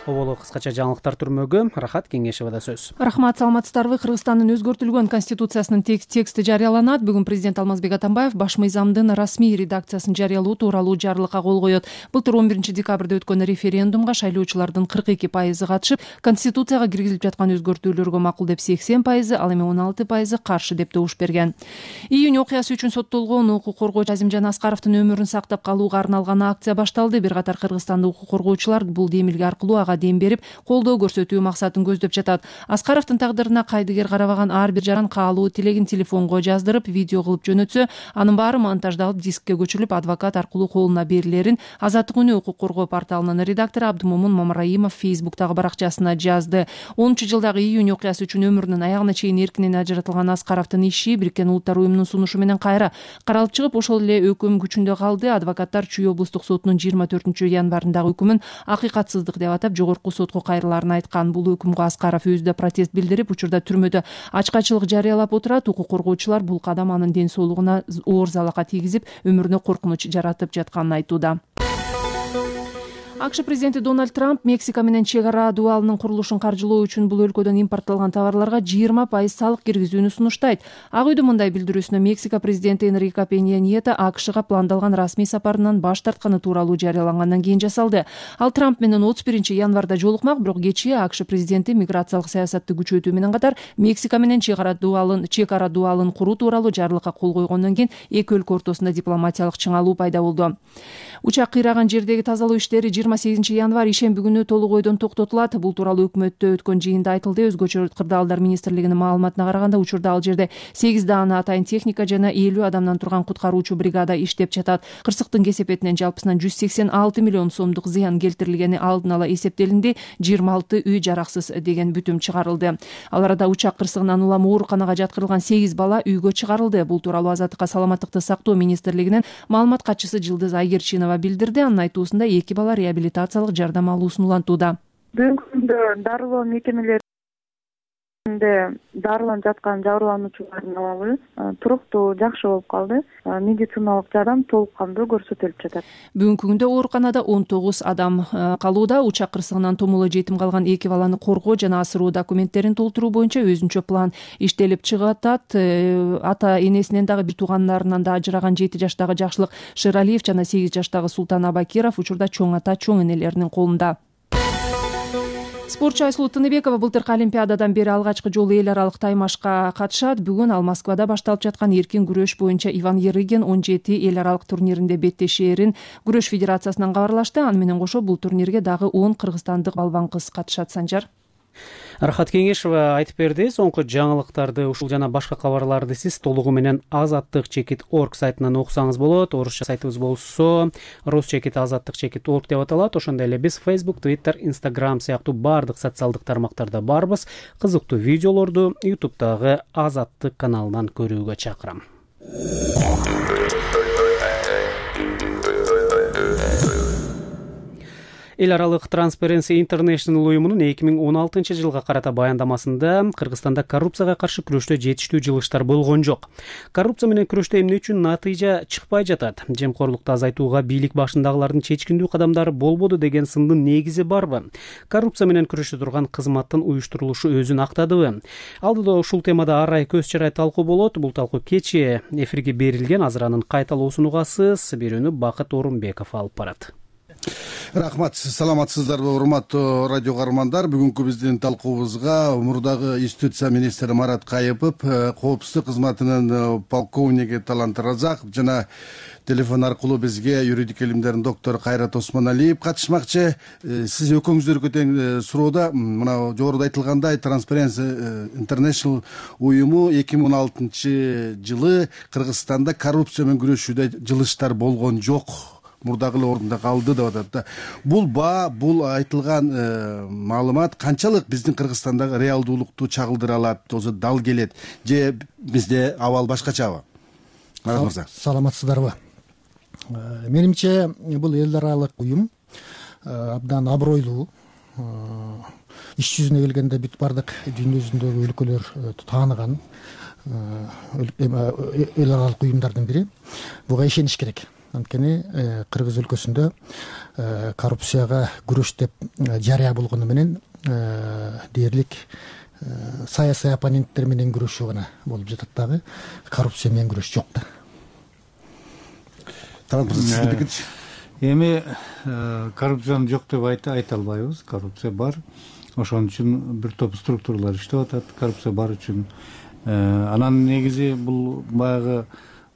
Оболу кыскача жаңылыктар түрмөгү Рахат Кеңешевада сөз. Рахмат, саламатсыздарбы. Кыргызстандын өзгөртүлгөн конституциясынын тексти жарыяланат. Бүгүн президент Алмазбек Атамбаев баш мыйзамдын расмий редакциясын жарыялоо тууралуу жарлыкка кол коёт. Былтыр 11 декабрда өткөн референдумга шайлоочулардын 42% катышып, конституцияга киргизилип жаткан өзгөртүүлөргө макул деп 80%, ал эми 16% каршы деп добуш берген. Июнь окуясы үчүн соттолгон укук коргоочу Азимжан Аскаровдун өмүрүн сактап калууга арналган акция башталды. Бир катар Кыргызстандык укук коргоочулар бул демилге аркылуу дем берип, колдоо көрсөтүү максатын көздөп жатат. Аскаровдун тагдырына кайдыгер карабаган ар бир жаран каалуу тилегин телефонго жаздырып, видео кылып жөнөтсө, анын баары монтаждалып, дискке көчүрүлүп, адвокат аркылуу колуна берилерин Азаттык үнү укук коргоо порталынын редактору Абдымомун Мамраимов Facebook'тагы баракчасына жазды. 10 жылдагы июнь окуясы үчүн өмүрүнүн аягына чейин эркинен ажыратылган Аскаровдун иши Бириккен Улуттар уюмунун сунушу менен кайра каралып чыгып, ошол эле өкүм күчүндө калды. Адвокаттар Чүй облустук сотунун 24 январындагы өкүмүн акыйкатсыздык деп атап, жогорку сотко кайрыларын айткан. Бул өкүмгө Аскаров өзү протест билдирип, учурда түрмөдө ачкачылык жарыялап отурат. Укук коргоочулар бул кадам анын ден соолугуна оор залака тийгизип, өмүрүнө коркунуч жаратып жатканын айтууда. АКШ президенти Дональд Трамп Мексика менен чек ара дуалынын курулушун каржылоо үчүн бул өлкөдөн импортталган товарларга 20% салык киргизүүнү сунуштайт. Ак үйдүн мындай билдирүүсүнө Мексика президенти Энрике Пенья Нието АКШга пландалган расмий сапарынан баш тартканы тууралуу жарыялангандан кийин жасалды. Ал Трамп менен 31 январда жолукмак, бирок кечээ АКШ президенти миграциялык саясатты күчөтүү менен катар Мексика менен чек ара дуалын куруу тууралуу жарлыкка кол койгондон кийин эки өлкө ортосунда дипломатиялык чыңалуу пайда болду. Учак кыйраган жердеги тазалоо иштери 28 январь ишемби күнү толук ойдон токтотулат. Бул тууралуу өкмөттө өткөн жыйында айтылды. Өзгөчө кырдаалдар министрлигинин маалыматына караганда, учурда ал жерде 8 даана атайын техника жана 50 адамдан турган куткаруучу бригада иштеп жатат. Кырсыктын кесепетинен жалпысынан 186 миллион сомдук зыян келтирилгени алдын ала эсептелинди. 26 үй жараксыз деген бүтүм чыгарылды. Ал арада учак кырсыгынан улам ооруканага жаткырылган 8 бала үйгө чыгарылды. Бул тууралуу Азаттыкка саламаттыкты сактоо министрлигинин маалымат катчысы Жылдыз Айгерчинова билдирди. Анын айтуусунда 2 бала реабилитациялык жардам алуусун улантууда. Бүгүнкү күндө дарылоо мекемелеринде дарыланып жаткан жабырлануучулардын абалы туруктуу, жакшы болуп калды. Медициналык жардам толук кандуу көрсөтүлүп жатат. Бүгүнкү күндө ооруканада 19 адам калууда. Учак кырсыгынан томоло жетим калган 2 баланы коргоо жана асыруу документтерин толтуруу боюнча өзүнчө план иштелип чыгатат. Ата энесинен дагы бир туугандарынан да ажыраган 7 жаштагы Жакшылык Шералиев жана 8 жаштагы Султан Абакиров учурда чоң ата, чоң энелеринин колунда. Спортчу Айсулуу Тыныбекова былтыркы Олимпиададан бери алгачкы жолу эл аралык таймашка катышат. Бүгүн ал Москвада башталып жаткан эркин күрөш боюнча Иван Ярыгин 17 эл аралык турниринде беттешээрин Күрөш федерациясынан кабарлашты. Аны менен кошо бул турнирге дагы 10 кыргызстандык балбан кыз катышат. Санжар. Рахат Кеңешова айтып берди. Соңку жаңылыктарды ушул жана башка кабарларды сиз толугу менен azattik.org сайтынан окусаңыз болот. Орусча сайтыбыз болсо rusчекит.azattik.org деп аталат. Ошондой эле биз Facebook, Twitter, Instagram сыяктуу бардык социалдык тармактарда барбыз. Кызыктуу видеолорду YouTube'дагы Азаттык каналынан көрүүгө чакырам. Эл аралык Transparency International уюмунун 2016 жылга карата баяндамасында Кыргызстанда коррупцияга каршы күрөштө жетиштүү жылыштар болгон жок. Коррупция менен күрөштө эмне үчүн натыйжа чыкпай жатат? Жемкорлукту азайтууга бийлик башындагылардын чечкиндүү кадамдары болбоду деген сындын негизи барбы? Коррупция менен күрөшө турган кызматтын уюштурулушу өзүн актадыбы? Алдыда ушул темада арай көз чарай талкуу болот. Бул талкуу кечээ эфирге берилген, азыр анын кайталоосун угасыз. Берүүнү Бакыт Орунбеков алып барат. Рахмат, саламатсыздарбы урматтуу радио каармандар. Бүгүнкү биздин талкуубузга мурдагы юстиция министри Марат Кайыпов, коопсуздук кызматынын полковниги Талант Разаков жана телефон аркылуу бизге юридик илимдердин доктору Кайрат Осмоналиев катышмакчы. Сиз экөөңүздөргө тең суроодо мына жогоруда айтылгандай Transparency International уюму 2016 жылы Кыргызстанда коррупция менен күрөшүүдө жылыштар болгон жок, мурдагы эле ордунда калды деп атат да. Бул айтылган маалымат канчалык биздин Кыргызстандагы реалдуулукту чагылдыра алат, өзү дал келет же бизде абал башкачабы? Марат мырза. Саламатсыздарбы? Менимче бул эл аралык уюм абдан абройлуу. Иш жүзүнө келгенде бүт бардык дүйнө жүзүндөгү өлкөлөр тааныган эл аралык уюмдардын бири. Буга ишениш керек. Анткени Кыргыз өлкөсүндө коррупцияга күрөш деп жарыя болгону менен дээрлик саясий оппоненттер менен күрөшүү гана болуп жатат дагы. Коррупция менен күрөш жок да. Эми коррупциянын жок деп айта албайбыз. Коррупция бар. Ошон үчүн бир топ структуралар иштеп атат. Коррупция бар үчүн анан негизи бул баягы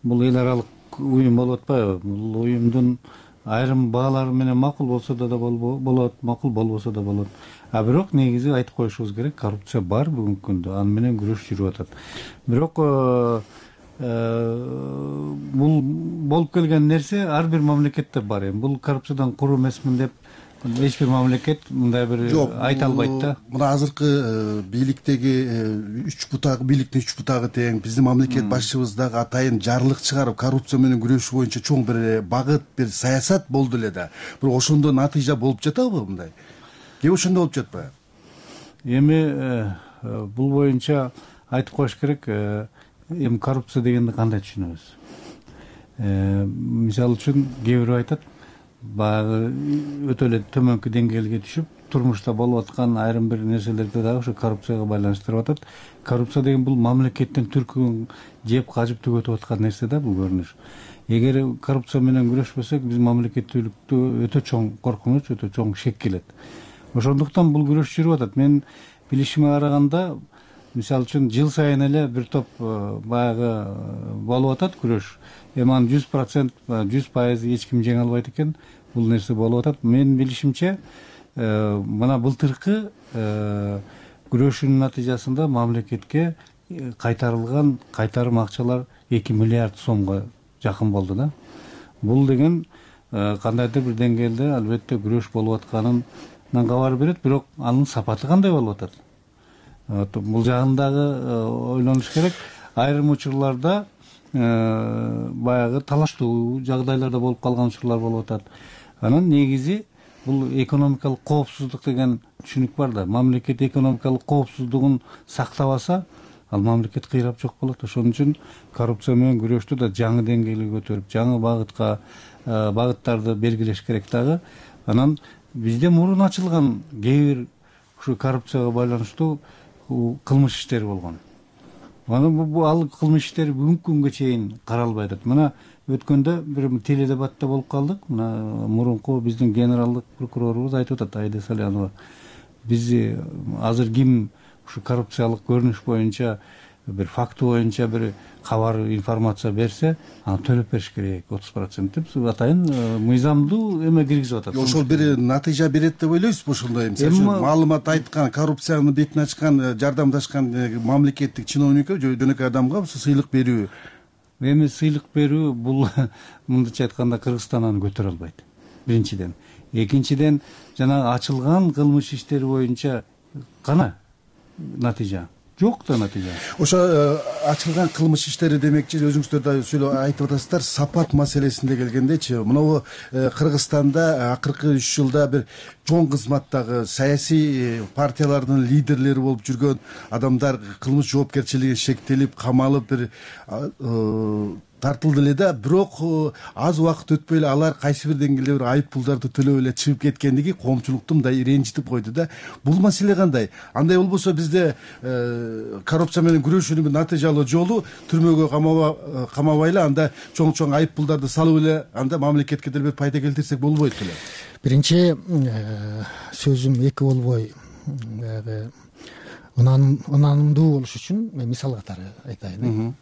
бул эл аралык уюм болуп атпайбы? Бул уюмдун айрым баалары менен макул болсо да болот, макул болбосо да болот. А бирок негизи айтып коюшубуз керек, коррупция бар бүгүнкү күндө, аны менен күрөш жүрүп атат. Бирок бул болуп келген нерсе ар бир мамлекетте бар. Эми бул коррупциядан куру эмесмин деп эч бир мамлекет мындай бир айта албайт да. Мына азыркы бийликтеги бийликтин үч бутагы тең, биздин мамлекет башчыбыз дагы атайын жарлык чыгарып, коррупция менен күрөшүү боюнча чоң бир багыт, бир саясат болду эле да. Бирок ошондо натыйжа болуп жатабы мындай? Же ошондо болуп жатпайбы? Эми бул боюнча айтып коюш керек, эми коррупция дегенди кандай түшүнөбүз? Мисалы үчүн кээ бирөө айтат, баягы өтө эле төмөнкү деңгээлге түшүп, турмушта болуп аткан айрым бир нерселерди дагы ошо коррупцияга байланыштырып атат. Коррупция деген бул мамлекеттин түркүн жеп кажып түгөтүп аткан нерсе да, бул көрүнүш. Эгер коррупция менен күрөшпөсөк, биз мамлекеттүүлүктү өтө чоң коркунуч, өтө чоң шек келет. Ошондуктан бул күрөш жүрүп атат. Мен билишиме караганда, мисалы үчүн жыл сайын эле бир топ баягы болуп атат күрөш. Эми анын 100%, 100% эч ким жеңе албайт экен. Бул нерсе болуп атат. Менин билишимче, мына былтыркы күрөшүүнүн натыйжасында мамлекетке кайтарылган кайтарым акчалар 2 миллиард сомго жакын болду да. Бул деген кандайдыр бир деңгээлде албетте күрөш болуп атканынан кабар берет, бирок анын сапаты кандай болуп атат? Бул жагындагы ойлонуш керек. Айрым учурларда баягы талаштуу жагдайларда болуп калган учурлар болуп атат. Анан негизи бул экономикалык коопсуздук деген түшүнүк бар да. Мамлекет экономикалык коопсуздугун сактабаса, ал мамлекет кыйрап жок болот. Ошон үчүн коррупция менен күрөштү да жаңы деңгээлге көтөрүп, жаңы багыттарды белгилеш керек дагы. Анан бизде мурун ачылган кээ бир ушу коррупцияга байланыштуу кылмыш иштери болгон. Анан ал кылмыш иштери бүгүнкү күнгө чейин каралбай атат. Мына өткөндө бир теледебатта болуп калдык. Мына мурунку биздин генералдык прокурорубуз айтып атат, Айда Салянова. Биз азыр ким ушу коррупциялык көрүнүш боюнча бир факты боюнча бир кабар, информация берсе, аны төлөп бериш керек 30% деп атайын мыйзамдуу эме киргизип атат. Ошол бир натыйжа берет деп ойлойсузбу ошондой? Маалымат айткан, коррупциянын бетин ачкан, жардамдашкан мамлекеттик чиновникке, жөнөкөй адамга сыйлык берүү. Эми сыйлык берүү бул мындайча айтканда Кыргызстан аны көтөрө албайт. Биринчиден. Экинчиден, жана ачылган кылмыш иштери боюнча кана натыйжа. жок да натыйжа. Ошо ачылган кылмыш иштери демекчи, өзүңүздөр да айтып атасыздар, сапат маселесинде келгендечи, мынабу Кыргызстанда акыркы 3 жылда бир чоң кызматтагы саясий партиялардын лидерлери болуп жүргөн адамдар кылмыш жоопкерчилиги шектелип, камалып бир тартылды эле да, бирок аз убакыт өтпөй эле алар кайсы бир деңгээлде бир айып пулдарды төлөп эле чыгып кеткендиги коомчулукту мындай ренжитип койду да. Бул маселе кандай? Андай болбосо бизде коррупция менен күрөшүүнүн бир натыйжалуу жолу түрмөгө камабай эле, анда чоң айып пулдарды салып эле, анда мамлекетке деле бир пайда келтирсек болбойт беле? Биринчи сөзүм эки болбой ынанымдуу болуш үчүн мен мисал катары айтайын.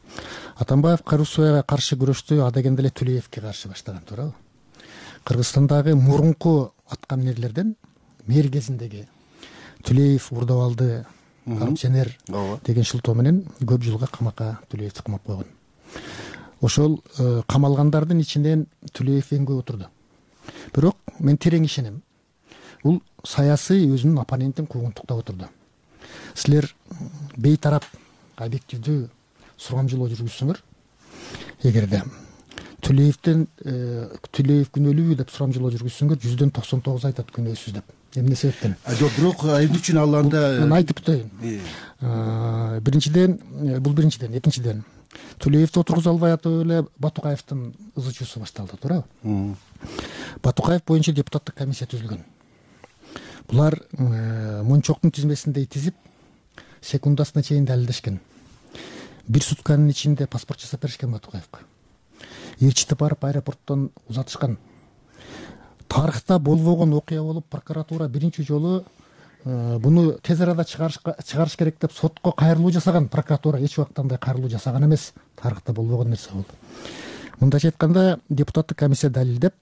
Атамбаев коррупцияга каршы күрөштү адегенде эле Төлөевке каршы баштаган, туурабы? Кыргызстандагы мурунку аткаминерлерден мэр кезиндеги Төлөев урдап алды, коррупционер деген шылтоо менен көп жылга камакка Төлөевди камап койгон. Ошол камалгандардын ичинен Төлөев эң көп отурду. Бирок мен терең ишенем, бул саясий өзүнүн оппонентин куугунтуктап отурду. Силер бейтарап объективдүү сурамжылоо жүргүзсөңөр, эгерде Төлөев күнөөлүүбү деп сурамжылоо жүргүзсөңөр 99 айтат күнөөсүз деп. Эмне себептен? Жок, бирок эмне үчүн ал анда мен айтып өтөйүн. Биринчиден, экинчиден Төлөевди отургуза албай атып эле Батукаевдин ызычуусу башталды, туурабы? Батукаев боюнча депутаттык комиссия түзүлгөн. Булар мончоктун тизмесиндей тизип, секундасына чейин далилдешкен. Бир сутканын ичинде паспорт жасап беришкен Батукаевга. Ээрчитип барып аэропорттон узатышкан. Тарыхта болбогон окуя болуп, прокуратура биринчи жолу буну тез арада чыгарыш керек деп сотко кайрылуу жасаган. Прокуратура эч убакта андай кайрылуу жасаган эмес. Тарыхта болбогон нерсе болду. Мындайча айтканда, депутаттык комиссия далилдеп,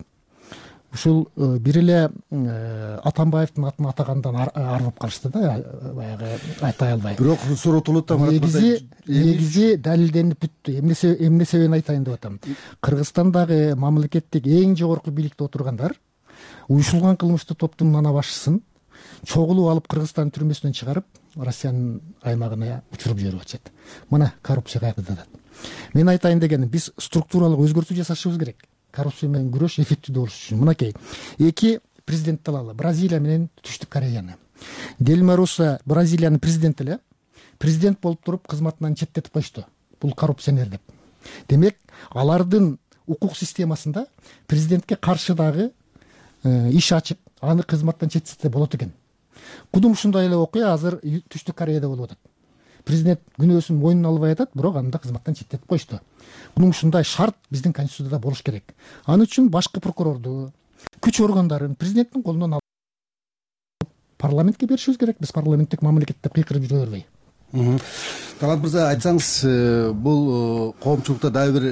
ушул бир эле Атамбаевдин атын атагандан арылып калышты да, баягы айтай албай. Бирок суротулут да негизи далилденип бүттү. Эмне себебин айтайын деп атам. Кыргызстандагы мамлекеттик эң жогорку бийликте отургандар уюшулган кылмыштуу топтун ана башчысын чогулуп алып Кыргызстан түрмөсүнөн чыгарып, Россиянын аймагына учуруп жиберип атышат. Мына коррупция кайда. Мен айтайын дегеним, биз структуралык өзгөртүү жасашыбыз керек. Коррупция менен күрөш эффективдүү болуш үчүн. Мынакей, эки президентти алалы, Бразилия менен Түштүк Кореяны. Дилма Руссо Бразилиянын президенти эле, президент болуп туруп кызматынан четтетип коюшту. Бул коррупционер деп. Демек, алардын укук системасында президентке каршы дагы иш ачып, аны кызматтан четтетсе болот экен. Кудум ушундай эле окуя азыр Түштүк Кореяда болуп атат. Президент күнөөсүн мойнуна албай атат, бирок анда кызматтан четтетип коюшту. Мунун ушундай шарт биздин конституцияда болуш керек. Аны үчүн башкы прокурорду, күч органдарын президенттин колунан алып парламентке беришибиз керек. Биз парламенттик мамлекет деп кыйкырып жүрө бербей. Талант мырза, айтсаңыз, бул коомчулукта дагы бир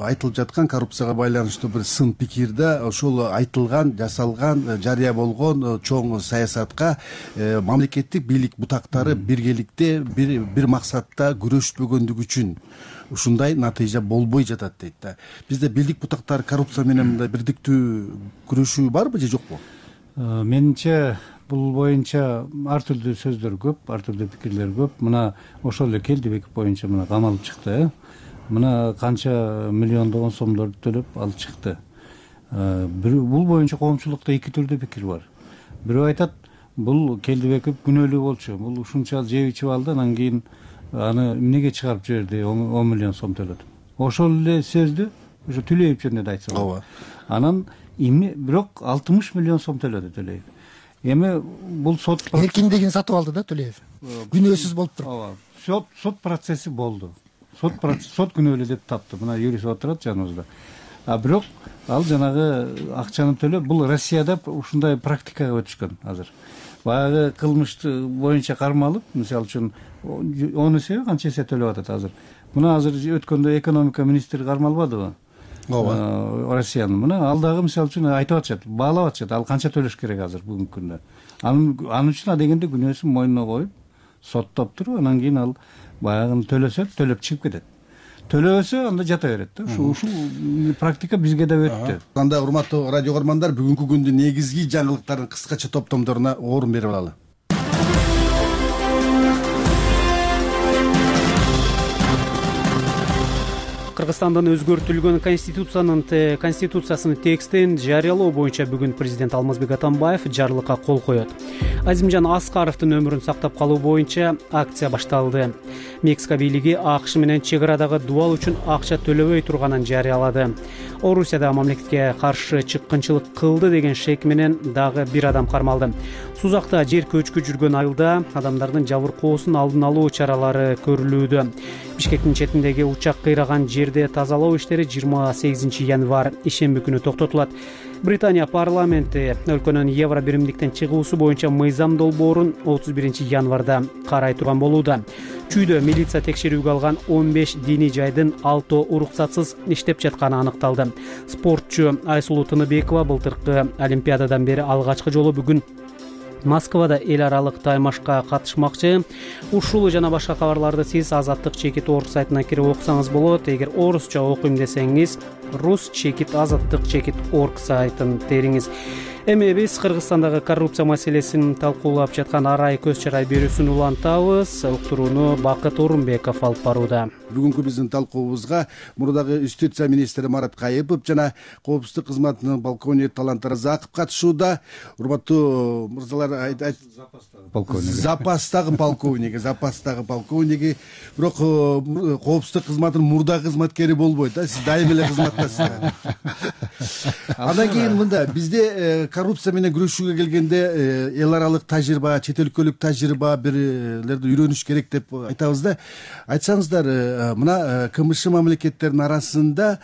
айтылып жаткан коррупцияга байланыштуу бир сын пикир да, ошол айтылган, жасалган, жарыя болгон чоң саясатка мамлекеттик бийлик бутактары биргеликте бир максатта күрөшпөгөндүгү үчүн ушундай натыйжа болбой жатат дейт да. Бизде бийлик бутактары коррупция менен мындай бирдиктүү күрөшүү барбы же жокпу? Менимче бул боюнча ар түрдүү сөздөр көп, ар түрдүү пикирлер көп. Мына ошол эле Келдибек боюнча мына камалып чыкты. Мына канча миллиондогон сомдорду төлөп алып чыкты. Бул боюнча коомчулукта эки түрдүү пикир бар. Бирөө айтат, бул Келдибеков күнөөлүү болчу, бул ушунча жеп ичип алды, анан кийин аны эмнеге чыгарып жиберди, 10 миллион сом төлөдү. Ошол эле сөздү ошо Төлөев жөнүндө да айтса болот. Анан бирок 60 миллион сом төлөдү Төлөев. Эми бул сот эркиндигин сатып алды да Төлөев. Күнөөсүз болуп туруп. Ооба. Сот процесси болду. Сот күнөөлүү деп тапты. Мына юрист отурат жаныбызда. Бирок ал жанагы акчаны төлөп, бул Россияда ушундай практикага өтүшкөн азыр. Баягы кылмышты боюнча кармалып, мисалы үчүн 10 эсе канча эсе төлөп атат азыр. Мына азыр өткөндө экономика министри кармалбадыбы? Ооба. Россиянын. Мына ал дагы мисалы үчүн айтып атышат, баалап атышат, ал канча төлөш керек азыр бүгүнкү күндө. Анын үчүн адегенде күнөөсүн мойнуна коюп, соттоп туруп, анан кийин ал баягын төлөп чыгып кетет. Төлөбөсө анда жата берет да. Ушул практика бизге да өттү. Анда урматтуу радио көрөрмандар, бүгүнкү күндүн негизги жаңылыктарын кыскача топтомдоруна орун берип алалы. Кыргызстандын өзгөртүлгөн конституциясынын текстин жарыялоо боюнча бүгүн президент Алмазбек Атамбаев жарлыкка кол коет. Азимжан Аскаровдун өмүрүн сактап калуу боюнча акция башталды. Мексика бийлиги АКШ менен чек арадагы дубал үчүн акча төлөбөй турганын жарыялады. Орусияда мамлекетке каршы чыккынчылык кылды деген шек менен дагы бир адам кармалды. Сузакта жер көчкү жүргөн айылда адамдардын жабыркоосун алдын алуу чаралары көрүлүүдө. Бишкектин четиндеги учак кыйраган жерде тазалоо иштери 28 январь ишемби күнү токтотулат. Британия парламенти өлкөнүн евро биримдиктен чыгуусу боюнча мыйзам долбоорун 31 январда карай турган болууда. Чүйдө милиция текшерүүгө алган 15 диний жайдын 6 уруксатсыз иштеп жатканы аныкталды. Спортчу Айсулуу Тыныбекова былтыркы Олимпиададан бери алгачкы жолу бүгүн Москвада эл аралык таймашка катышмакчы. Ушул жана башка кабарларды сиз Азаттык чекит орг сайтына кирип окусаңыз болот. Эгер орусча окуйм десеңиз, рус чекит азаттык чекит орг сайтын териңиз. Эми биз Кыргызстандагы коррупция маселесин талкуулап жаткан арай көз чарай берүүсүн улантабыз. Уктурууну Бакыт Орунбеков алып барууда. Бүгүнкү биздин талкуубузга мурдагы юстиция министри Марат Кайыпов жана коопсуздук кызматынын полковниги Талант Разаков катышууда. Урматтуу мырзалар, запастагы полковниги. Бирок коопсуздук кызматынын мурдагы кызматкери болбойт да, сиз дайым эле кызматтасыз. Андан кийин мында бизде коррупция менен күрөшүүгө келгенде эл аралык тажрыйба, чет өлкөлүк тажрыйба бирлерди үйрөнүш керек деп айтабыз да. Айтсаңыздар, мына КМШ мамлекеттеринин арасында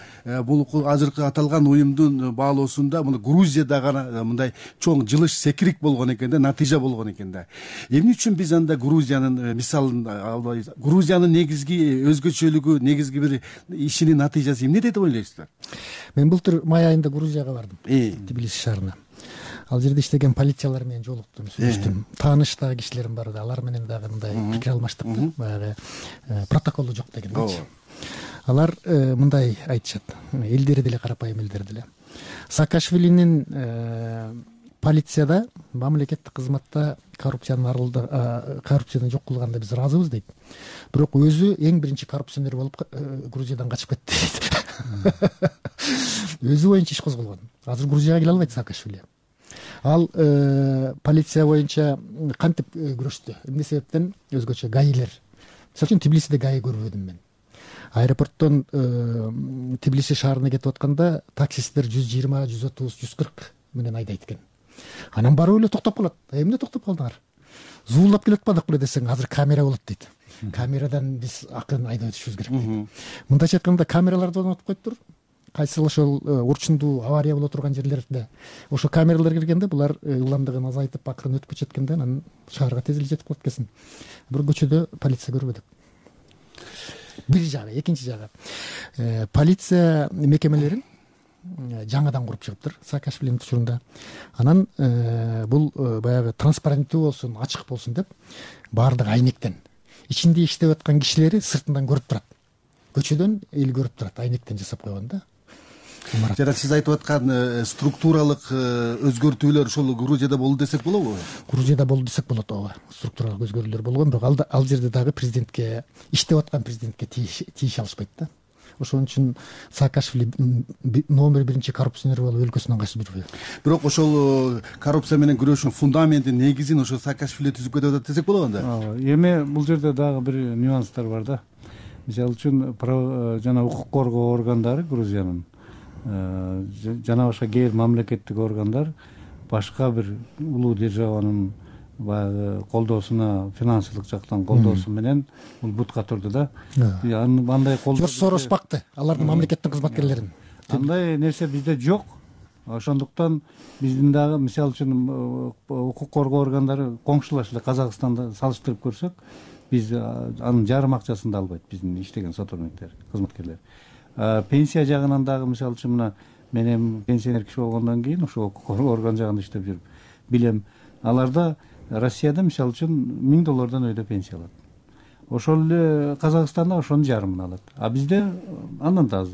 бул азыркы аталган уюмдун баалоосунда мына Грузияда гана мындай чоң жылыш секирик болгон экен да, натыйжа болгон экен да. Эмне үчүн биз анда Грузиянын мисалын албайбыз? Грузиянын негизги өзгөчөлүгү, негизги бир ишинин натыйжасы эмне деп ойлойсуздар? Мен былтыр май айында Грузияга бардым, Тбилиси шаарына. Ал жерде иштеген полициялар менен жолуктум, сүйлөштүм. Тааныштагы кишилерим бар да, алар менен дагы мындай пикир алмаштык да, баягы протоколу жок дегендейчи. Алар мындай айтышат, элдери деле карапайым элдер деле. Саакашвилинин полицияда, мамлекеттик кызматта коррупцияны жок кылганда биз ыраазыбыз дейт. Бирок өзү эң биринчи коррупционер болуп Грузиядан качып кетти дейт. Өзү боюнча иш козголгон. Азыр Грузияга келе албайт Саакашвили. Ал полиция боюнча кантип күрөштү? Эмне себептен? Өзгөчө гаилер. Мисалы үчүн Тбилисиде гаи көрбөдүм мен. Аэропорттон Тбилиси шаарына кетип атканда таксисттер 120, 130, 140 менен айдайт экен. Анан барып эле токтоп калат. Эмне токтоп калдыңар? Зуулап келатпадык беле десең, азыр камера болот дейт. Камерадан биз акырын айдап өтүшүбүз керек дейт. Мындайча айтканда камераларды орнотуп коюптур. Кайсыл ошол урчундуу авария боло турган жерлерде ошо камералар киргенде булар ылдамдыгын азайтып акырын өтүп кетишеткенде анан шаарга тез эле жетип калат экенсиң. Бир көчөдө полиция көрбөдүк. Бир жагы, экинчи жагы. Полиция мекемелерин жаңадан куруп чыгыптыр Саакашвилинин учурунда. Анан бул баягы транспаренттүү болсун, ачык болсун деп баардык айнектен ичинде иштеп аткан кишилери сыртынан көрүп турат. Көчөдөн эл көрүп турат, айнектен жасап койгон да. Жана сиз айтып аткан структуралык өзгөртүүлөр ошол Грузияда болду десек болобу? Грузияда болду десек болот, ооба. Структуралык өзгөрүүлөр болгон, бирок ал жерде дагы президентке, иштеп аткан президентке тийише алышпайт да. Ошон үчүн Саакашвили номер 1 коррупционер болуп өлкөсүнөн качып жүрбөйт. Бирок ошол коррупция менен күрөшүүнүн фундаментин, негизин ошо Саакашвили түзүп кетип атат десек болот анда. Ооба. Эми бул жерде дагы бир нюанстар бар да. Мисалы үчүн жана укук коргоо органдары Грузиянын жана башка кээ бир мамлекеттик органдар башка бир улуу державанын баягы колдоосуна, финансылык жактан колдоосу менен бул бутка турду да. Андай колдоо Сорос бакты алардын мамлекеттик кызматкерлерин. Андай нерсе бизде жок. Ошондуктан биздин дагы мисалы үчүн укук коргоо органдары коңшулаш эле Казакстанда салыштырып көрсөк, биз анын жарым акчасын да албайт биздин иштеген сотрудниктер, кызматкерлер. Пенсия жагынан дагы мисалы үчүн мына мен эми пенсионер киши болгондон кийин ошол орган жагында иштеп жүрүп билем. Аларда Россияда мисалы үчүн $1000 өйдө пенсия алат. ошол эле Казакстанда ошонун жарымын алат, а бизде андан да аз,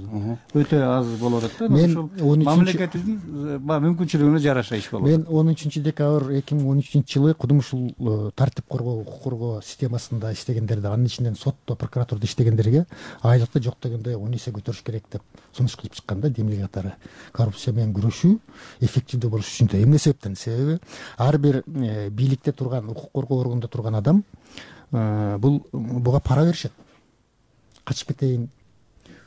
өтө аз болуп атат да. Ошол мамлекетибиздин мүмкүнчүлүгүнө жараша иш болот. Мен 10 декабрь 2013 жылы кудум ушул тартип коргоо, укук коргоо системасында иштегендерди, анын ичинен сотто, прокуратурада иштегендерге айлыкты жок дегенде 10 эсе көтөрүш керек деп сунуш кылып чыккан да, демилге катары. Коррупция менен күрөшүү эффективдүү болуш үчүн да. Эмне себептен? Себеби ар бир бийликте турган, укук коргоо органында турган адам буга пара беришет. Качып кетейин,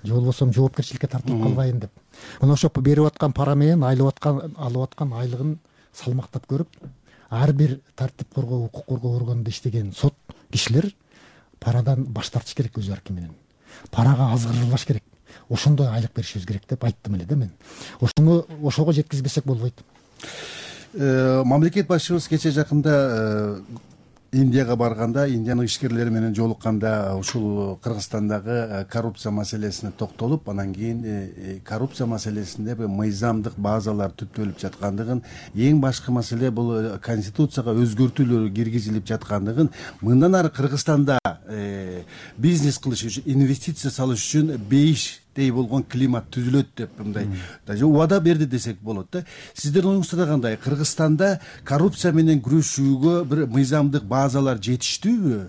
же болбосо жоопкерчиликке тартылып калбайын деп. Мына ошо берип аткан пара менен алып аткан айлыгын салмактап көрүп, ар бир тартип коргоо, укук коргоо органында иштеген сот кишилер парадан баш тартыш керек өз аркы менен. Парага азгырылбаш керек. Ошондой айлык беришибиз керек деп айттым эле да мен. Ошого жеткизбесек болбойт. Мамлекет башчыбыз кечээ жакында Индияга барганда, Индиянын ишкерлери менен жолукканда ушул Кыргызстандагы коррупция маселесине токтолуп, анан кийин коррупция маселесинде мыйзамдык базалар түптөлүп жаткандыгын, эң башкы маселе бул конституцияга өзгөртүүлөр киргизилип жаткандыгын, мындан ары Кыргызстанда бизнес кылыш үчүн, инвестиция салыш үчүн бейиштей болгон климат түзүлөт деп мындай даже убада берди десек болот да. Сиздердин оюңузда кандай? Кыргызстанда коррупция менен күрөшүүгө бир мыйзамдык базалар жетиштүүбү?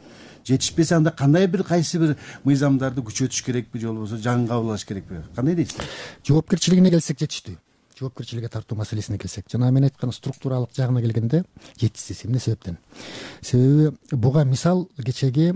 Жетишпесе анда кандай бир кайсы бир мыйзамдарды күчөтүш керекпи, же болбосо жаңы кабыл алыш керекпи? Кандай дейсиз? Жоопкерчилигине келсек жетиштүү. Жоопкерчиликке тартуу маселесине келсек, жана мен айткан структуралык жагына келгенде жетишсиз. Эмне себептен? Себеби буга мисал кечеги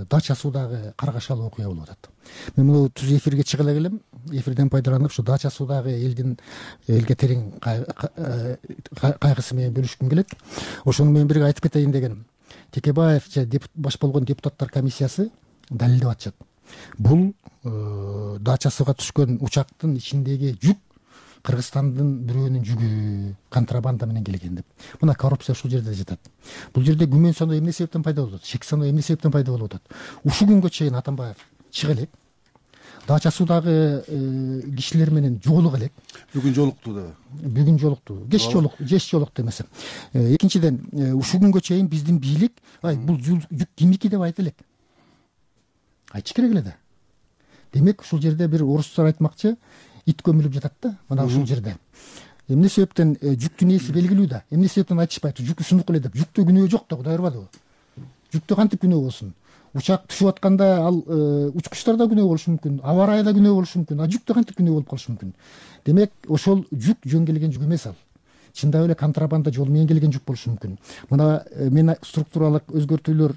Дача суудагы каргашалы окуя болуп атат. Мен муну түз эфирге чыга эле келем, эфирден пайдаланып ушу Дача суудагы элге терең кайгысы менен бөлүшкүм келет. Ошону мен бирге айтып кетейин дегеним. Текебаев же баш болгон депутаттар комиссиясы далилдеп атышат. Бул Дача сууга түшкөн учактын ичиндеги жүк Кыргызстандын бирөөнүн жүгү контрабанда менен келген деп. Мына коррупция ушул жерде жатат. Бул жерде күмөн саноо эмне себептен пайда болуп атат? Шек саноо эмне себептен пайда болуп атат? Ушул күнгө чейин Атамбаев чыга элек. Дача суудагы кишилер менен жолуга элек. Бүгүн жолукту да. Бүгүн жолукту. Кеч жолукту эмес. Экинчиден, ушул күнгө чейин биздин бийлик, бул жүк кимики деп айта элек. Айтыш керек эле да. Демек ушул жерде бир орустар айтмакчы, ит көмүлүп жатат да, мына ушул жерде. Эмне себептен жүктүн ээси белгилүү да. Эмне себептен айтышпайт? Жүк сунук эле деп. Жүктө күнөө жок да, Кудай ырбадыбы? Жүктө кантип күнөө болсун? Учак түшүп атканда ал учкучтарда күнөө болушу мүмкүн, аба ырайда күнөө болушу мүмкүн, а жүктө кантип күнөө болуп калышы мүмкүн? Демек, ошол жүк жөн келген жүк эмес ал. Чындап эле контрабанда жол менен келген жүк болушу мүмкүн. Мына мен структуралык өзгөртүүлөр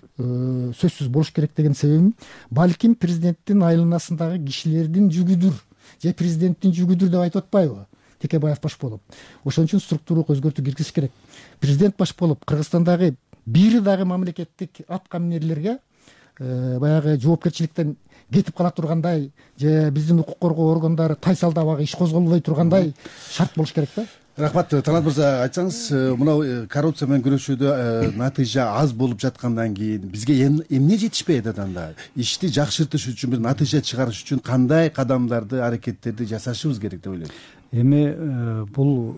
сөзсүз болуш керек деген себебим, балким президенттин айланасындагы кишилердин жүгүдүр, же президенттин жүгүдүр деп айтып атпайбы? Текебаев баш болуп. Ошон үчүн структуралык өзгөртүү киргизиш керек. Президент баш болуп, Кыргызстандагы бири дагы мамлекеттик аткаминерлерге баягы жоопкерчиликтен кетип кала тургандай, же биздин укук коргоо органдары тайсалдабагы иш козголбой тургандай шарт болуш керек да. Рахмат. Талант мырза, айтсаңыз, мына коррупция менен күрөшүүдө натыйжа аз болуп жаткандан кийин бизге эмне жетишпейт анда? Ишти жакшыртыш үчүн, бир натыйжа чыгарыш үчүн кандай кадамдарды, аракеттерди жасашыбыз керек деп ойлойм? Эми бул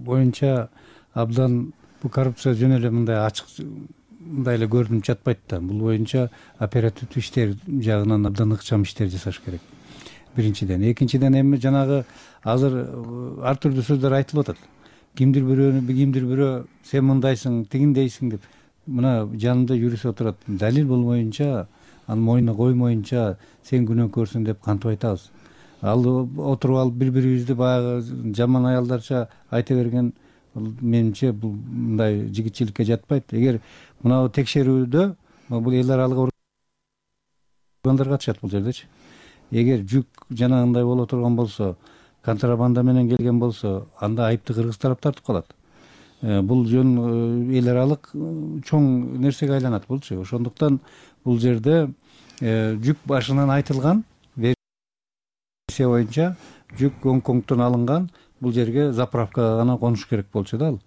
боюнча абдан бул коррупция жөн эле мындай ачык мындай эле көрүнүп жатпайт да. Бул боюнча оперативдүү иштер жагынан абдан ыкчам иштер жасаш керек. Биринчиден. Экинчиден эми жанагы азыр ар түрдүү сөздөр айтылып атат. Кимдир бирөө сен мындайсың, тигиндейсиң деп. Мына жанымда юрист отурат. Далил болмоюнча, анын мойнуна коймоюнча сен күнөөкөрсүң деп кантип айтабыз? Ал отуруп алып бири-бирибизди баягы жаман аялдарча айта берген менимче бул мындай жигитчиликке жатпайт. Эгер мына текшерүүдө бул эл аралык органдар катышат бул жердечи. Эгер жүк жанагындай боло турган болсо, контрабанда менен келген болсо, анда айыпты кыргыз тарап тартып калат. Бул жөн эл аралык чоң нерсеге айланат булчу. Ошондуктан бул жерде жүк башынан айтылган версия боюнча жүк Гонконгдон алынган, бул жерге заправкага гана конуш керек болчу да ал.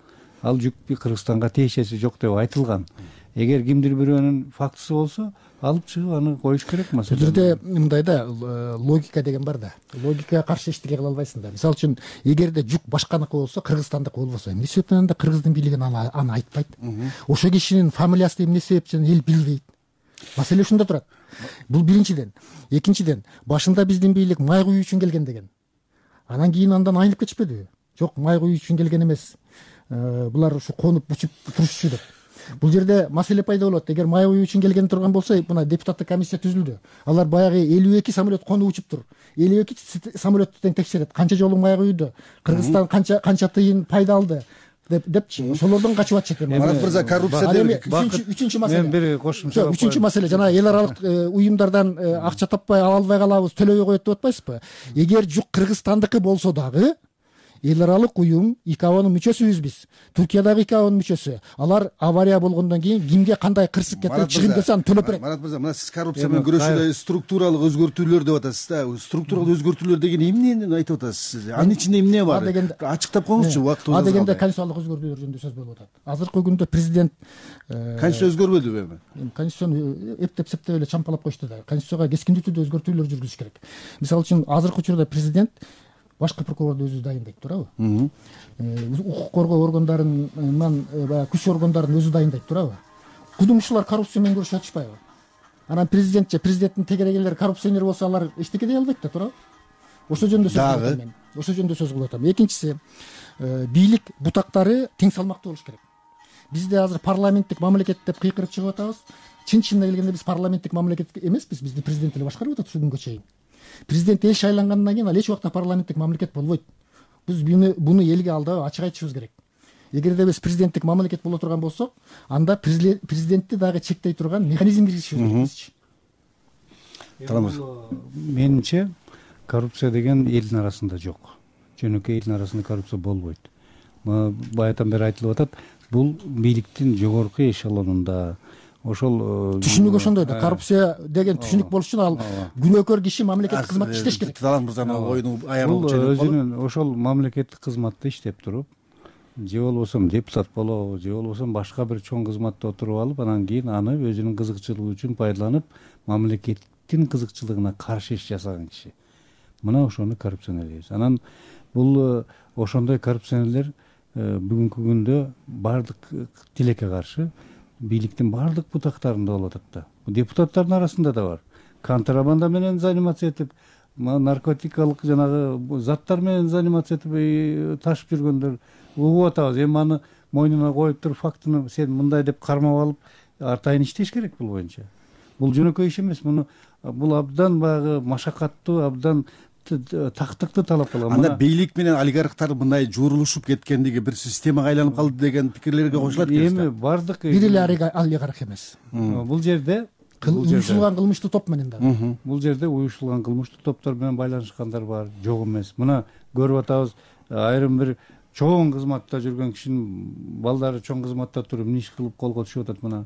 Ал жүк Кыргызстанга тиешеси жок деп айтылган. Эгер кимдир бирөөнүн фактысы болсо, алып чыгып аны коюш керек маселе. Бул жерде мындай да, логика деген бар да. Логикага каршы эчтеке кыла албайсың да. Мисалы үчүн, эгерде жүк башканыкы болсо, Кыргызстандыкы болбосо, эмне себептен анда кыргыздын бийлиги аны айтпайт? Ошо кишинин фамилиясы эмне себептен эл билбейт? маселе ушунда турат. Бул биринчиден. Экинчиден, башында биздин бийлик май куюу үчүн келген деген. Анан кийин андан айнып кетишпедиби? Жок, май куюу үчүн келген эмес. Булар ушу конуп учуп турушчу деп. Бул жерде маселе пайда болот. Эгер май куюу үчүн келген турган болсо, мына депутаттык комиссия түзүлдү. Алар баягы 52 самолет конуп учуп тур. 52 самолетту тең текшерет. Канча жолу май куюуду? Кыргызстан канча тыйын пайда алды? Депчи, ошолордон качып атышат. Марат мырза, коррупция деп үчүнчү маселе. Мен бир кошумча. Үчүнчү маселе, жана эл аралык уюмдардан акча таппай ала албай калабыз, төлөбөй коет деп атпайсызбы? Эгер жук Кыргызстандыкы болсо дагы, эл аралык уюм ИКАОнун мүчөсүбүз биз. Туркиядагы ИКАОнун мүчөсү. Алар авария болгондон кийин кимге кандай кырсык кетирип чыгым десе аны төлөп берет. Марат мырза, мына сиз коррупция менен күрөшүүдө структуралык өзгөртүүлөр деп атасыз да. Структуралык өзгөртүүлөр деген эмнени айтып атасыз сиз? Анын ичинде эмне бар? Ачыктап коюңузчу, убакыт озат. Дегенде конституциялык өзгөртүүлөр жөнүндө сөз болуп атат. Азыркы күндө президент конституция өзгөрбөдүбү эми? Конституцияны эптеп септеп эле чампалап койушту да. Конституцияга кескиндүү түрдө өзгөртүүлөр жүргүзүш керек. Мисалы үчүн азыркы учурда президент башкы прокурорду өзү дайындайт, туурабы? Укук коргоо органдарынан баягы күч органдарын өзү дайындайт, туурабы? Кудумчулар коррупция менен күрөшүп атышпайбы? Анан президентче, президенттин тегерегелери коррупционер болсо алар эчтеке дей албайт да, туурабы? Ошол жөнүндө сөз кылып атам мен. Ошол жөнүндө сөз кылып атам. Экинчиси, бийлик бутактары тең салмактуу болуш керек. Бизде азыр парламенттик мамлекет деп кыйкырып чыгып атабыз. Чын-чынына келгенде биз парламенттик мамлекет эмеспиз. Бизди президент эле башкарып атат ушул күнгө чейин. Президент эл шайлангандан кийин ал эч убакта парламенттик мамлекет болбойт. Биз буну элге алдап ачык айтышыбыз керек. Эгерде биз президенттик мамлекет боло турган болсок, анда президентти дагы чектей турган механизм киргизишибиз керек. Менимче коррупция деген элдин арасында жок. Жөнөкөй элдин арасында коррупция болбойт. Баятан бери айтылып атат, бул бийликтин жогорку эшелонунда ошол түшүнүк ошондой да. Коррупция деген түшүнүк болуш үчүн ал күнөөкөр киши мамлекеттик кызматта иштеш керек. Талант мырзанын оюну аягына чейин өзүнүн ошол мамлекеттик кызматта иштеп туруп, же болбосо депутат болобу, же болбосо башка бир чоң кызматта отуруп алып, анан кийин аны өзүнүн кызыкчылыгы үчүн пайдаланып, мамлекеттин кызыкчылыгына каршы иш жасаган киши. Мына ошону коррупционер дейбиз. Анан бул ошондой коррупционерлер бүгүнкү күндө баардык тилекке каршы бийликтин баардык бутактарында болуп атат да. Депутаттардын арасында да бар. Контрабанда менен заниматься этип, наркотикалык жанагы заттар менен заниматься этип ташып жүргөндөр угуп атабыз. Эми аны мойнуна коюп туруп фактыны сен мындай деп кармап алып, артайын иштеш керек бул боюнча. Бул жөнөкөй иш эмес. Бул абдан баягы машакаттуу, абдан тактыкты талап кылган. Анда бийлик менен олигархтар мындай жуурулушуп кеткендиги бир системага айланып калды деген пикирлерге кошулат экенсиз. Эми бардык бир эле олигарх эмес. Бул жерде уюшулган кылмыштуу топ менен да. Бул жерде уюшулган кылмыштуу топтор менен байланышкандар бар, жок эмес. Мына көрүп атабыз, айрым бир чоң кызматта жүргөн кишинин балдары чоң кызматта туруп иш кылып колго түшүп атат. Мына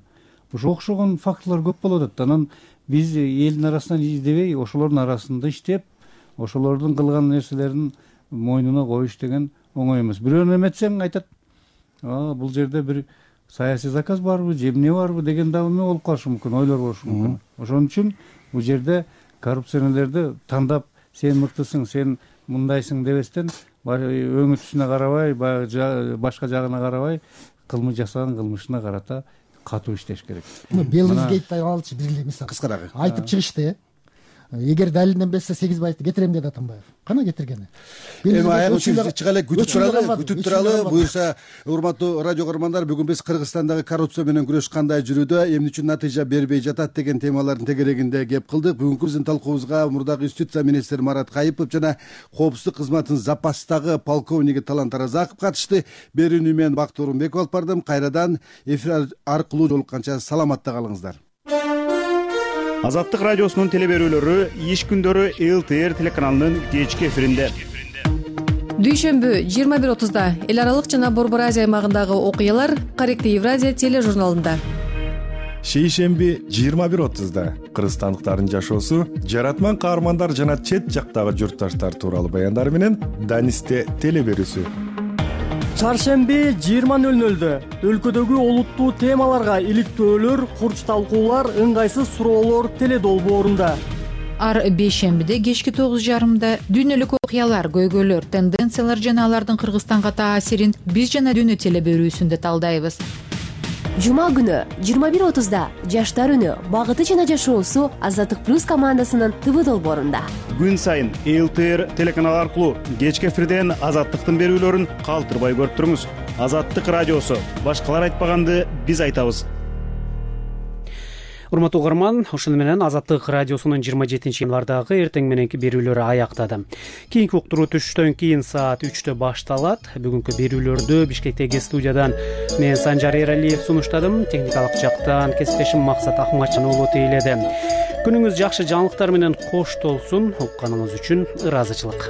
ошо окшогон фактылар көп болуп атат. Анан биз элдин арасынан издебей, ошолордун арасында иштеп, ошолордун кылган нерселерин мойнуна коюш деген оңой эмес. Бирөөнү эметсең айтат, бул жерде бир саясий заказ барбы, же эмне барбы деген дагы эмне болуп калышы мүмкүн, ойлор болушу мүмкүн. Ошон үчүн бул жерде коррупционерлерди тандап, сен мыктысың, сен мындайсың дебестен, өңү түсүнө карабай, башка жагына карабай, кылмыш жасаган кылмышына карата катуу иштеш керек. Белгизгейтти алчы бир эле мисал. Кыскараак айтып чыгышты. Эгер далилден берсе 8 байты кетирем деди Атамбаев. Кана кетиргени? Эми аягы чыга эле күтүп туралы. Буюрса, урматтуу радио көрөрмандар, бүгүн биз Кыргызстандагы коррупция менен күрөш кандай жүрүүдө, эмне үчүн натыйжа бербей жатат деген темалардын тегерегинде кеп кылдык. Бүгүнкү биздин талкуубузга мурдагы юстиция министри Марат Кайыпов жана коопсуздук кызматынын запастагы полковниги Талант Таразаков катышты. Берүүнү мен Бакыт Орунбеков алып бардым. Кайрадан эфир аркылуу жолукканча саламатта калыңыздар. Азаттык радиосунун телеберүүлөрү иш күндөрү ЛТР телеканалынын кечки эфиринде. Дүйшөмбү 21:30 эл аралык жана Борбор Азия аймагындагы окуялар Корректив Евразия тележурналында. Шейшемби 21:30 кыргызстандыктардын жашоосу, жаратман каармандар жана чет жактагы журтташтар тууралуу баяндар менен Данисте телеберүүсү. Чаршемби 20:00 өлкөдөгү олуттуу темаларга иликтөөлөр, курч талкуулар, ыңгайсыз суроолор теледолбоорунда. Ар бейшембиде кечки 9:30 дүйнөлүк окуялар, көйгөйлөр, тенденциялар жана алардын Кыргызстанга таасирин биз жана дүйнө телеберүүсүндө талдайбыз. Жума күнү 21:30 Жаштар үнү багыты жана жашоосу Азаттык плюс командасынын ТВ долбоорунда. Күн сайын ЛТР телеканалы аркылуу кечки эфирден Азаттыктын берүүлөрүн калтырбай көрүп туруңуз. Азаттык радиосу. Башкалар айтпаганды биз айтабыз. Урматтуу угарман, ошону менен Азаттык радиосунун 27-январдагы эртең мененки берүүлөрү аяктады. Кийинки уктуруу түштөн кийин саат 3-тө башталат. Бүгүнкү берүүлөрдү Бишкектеги студиядан мен Санжар Эралиев сунуштадым. Техникалык жактан кесиптешим Максат Ахматжан уулу тейледи. Күнүңүз жакшы жаңылыктар менен кош толсун. Укканыңыз үчүн ыраазычылык.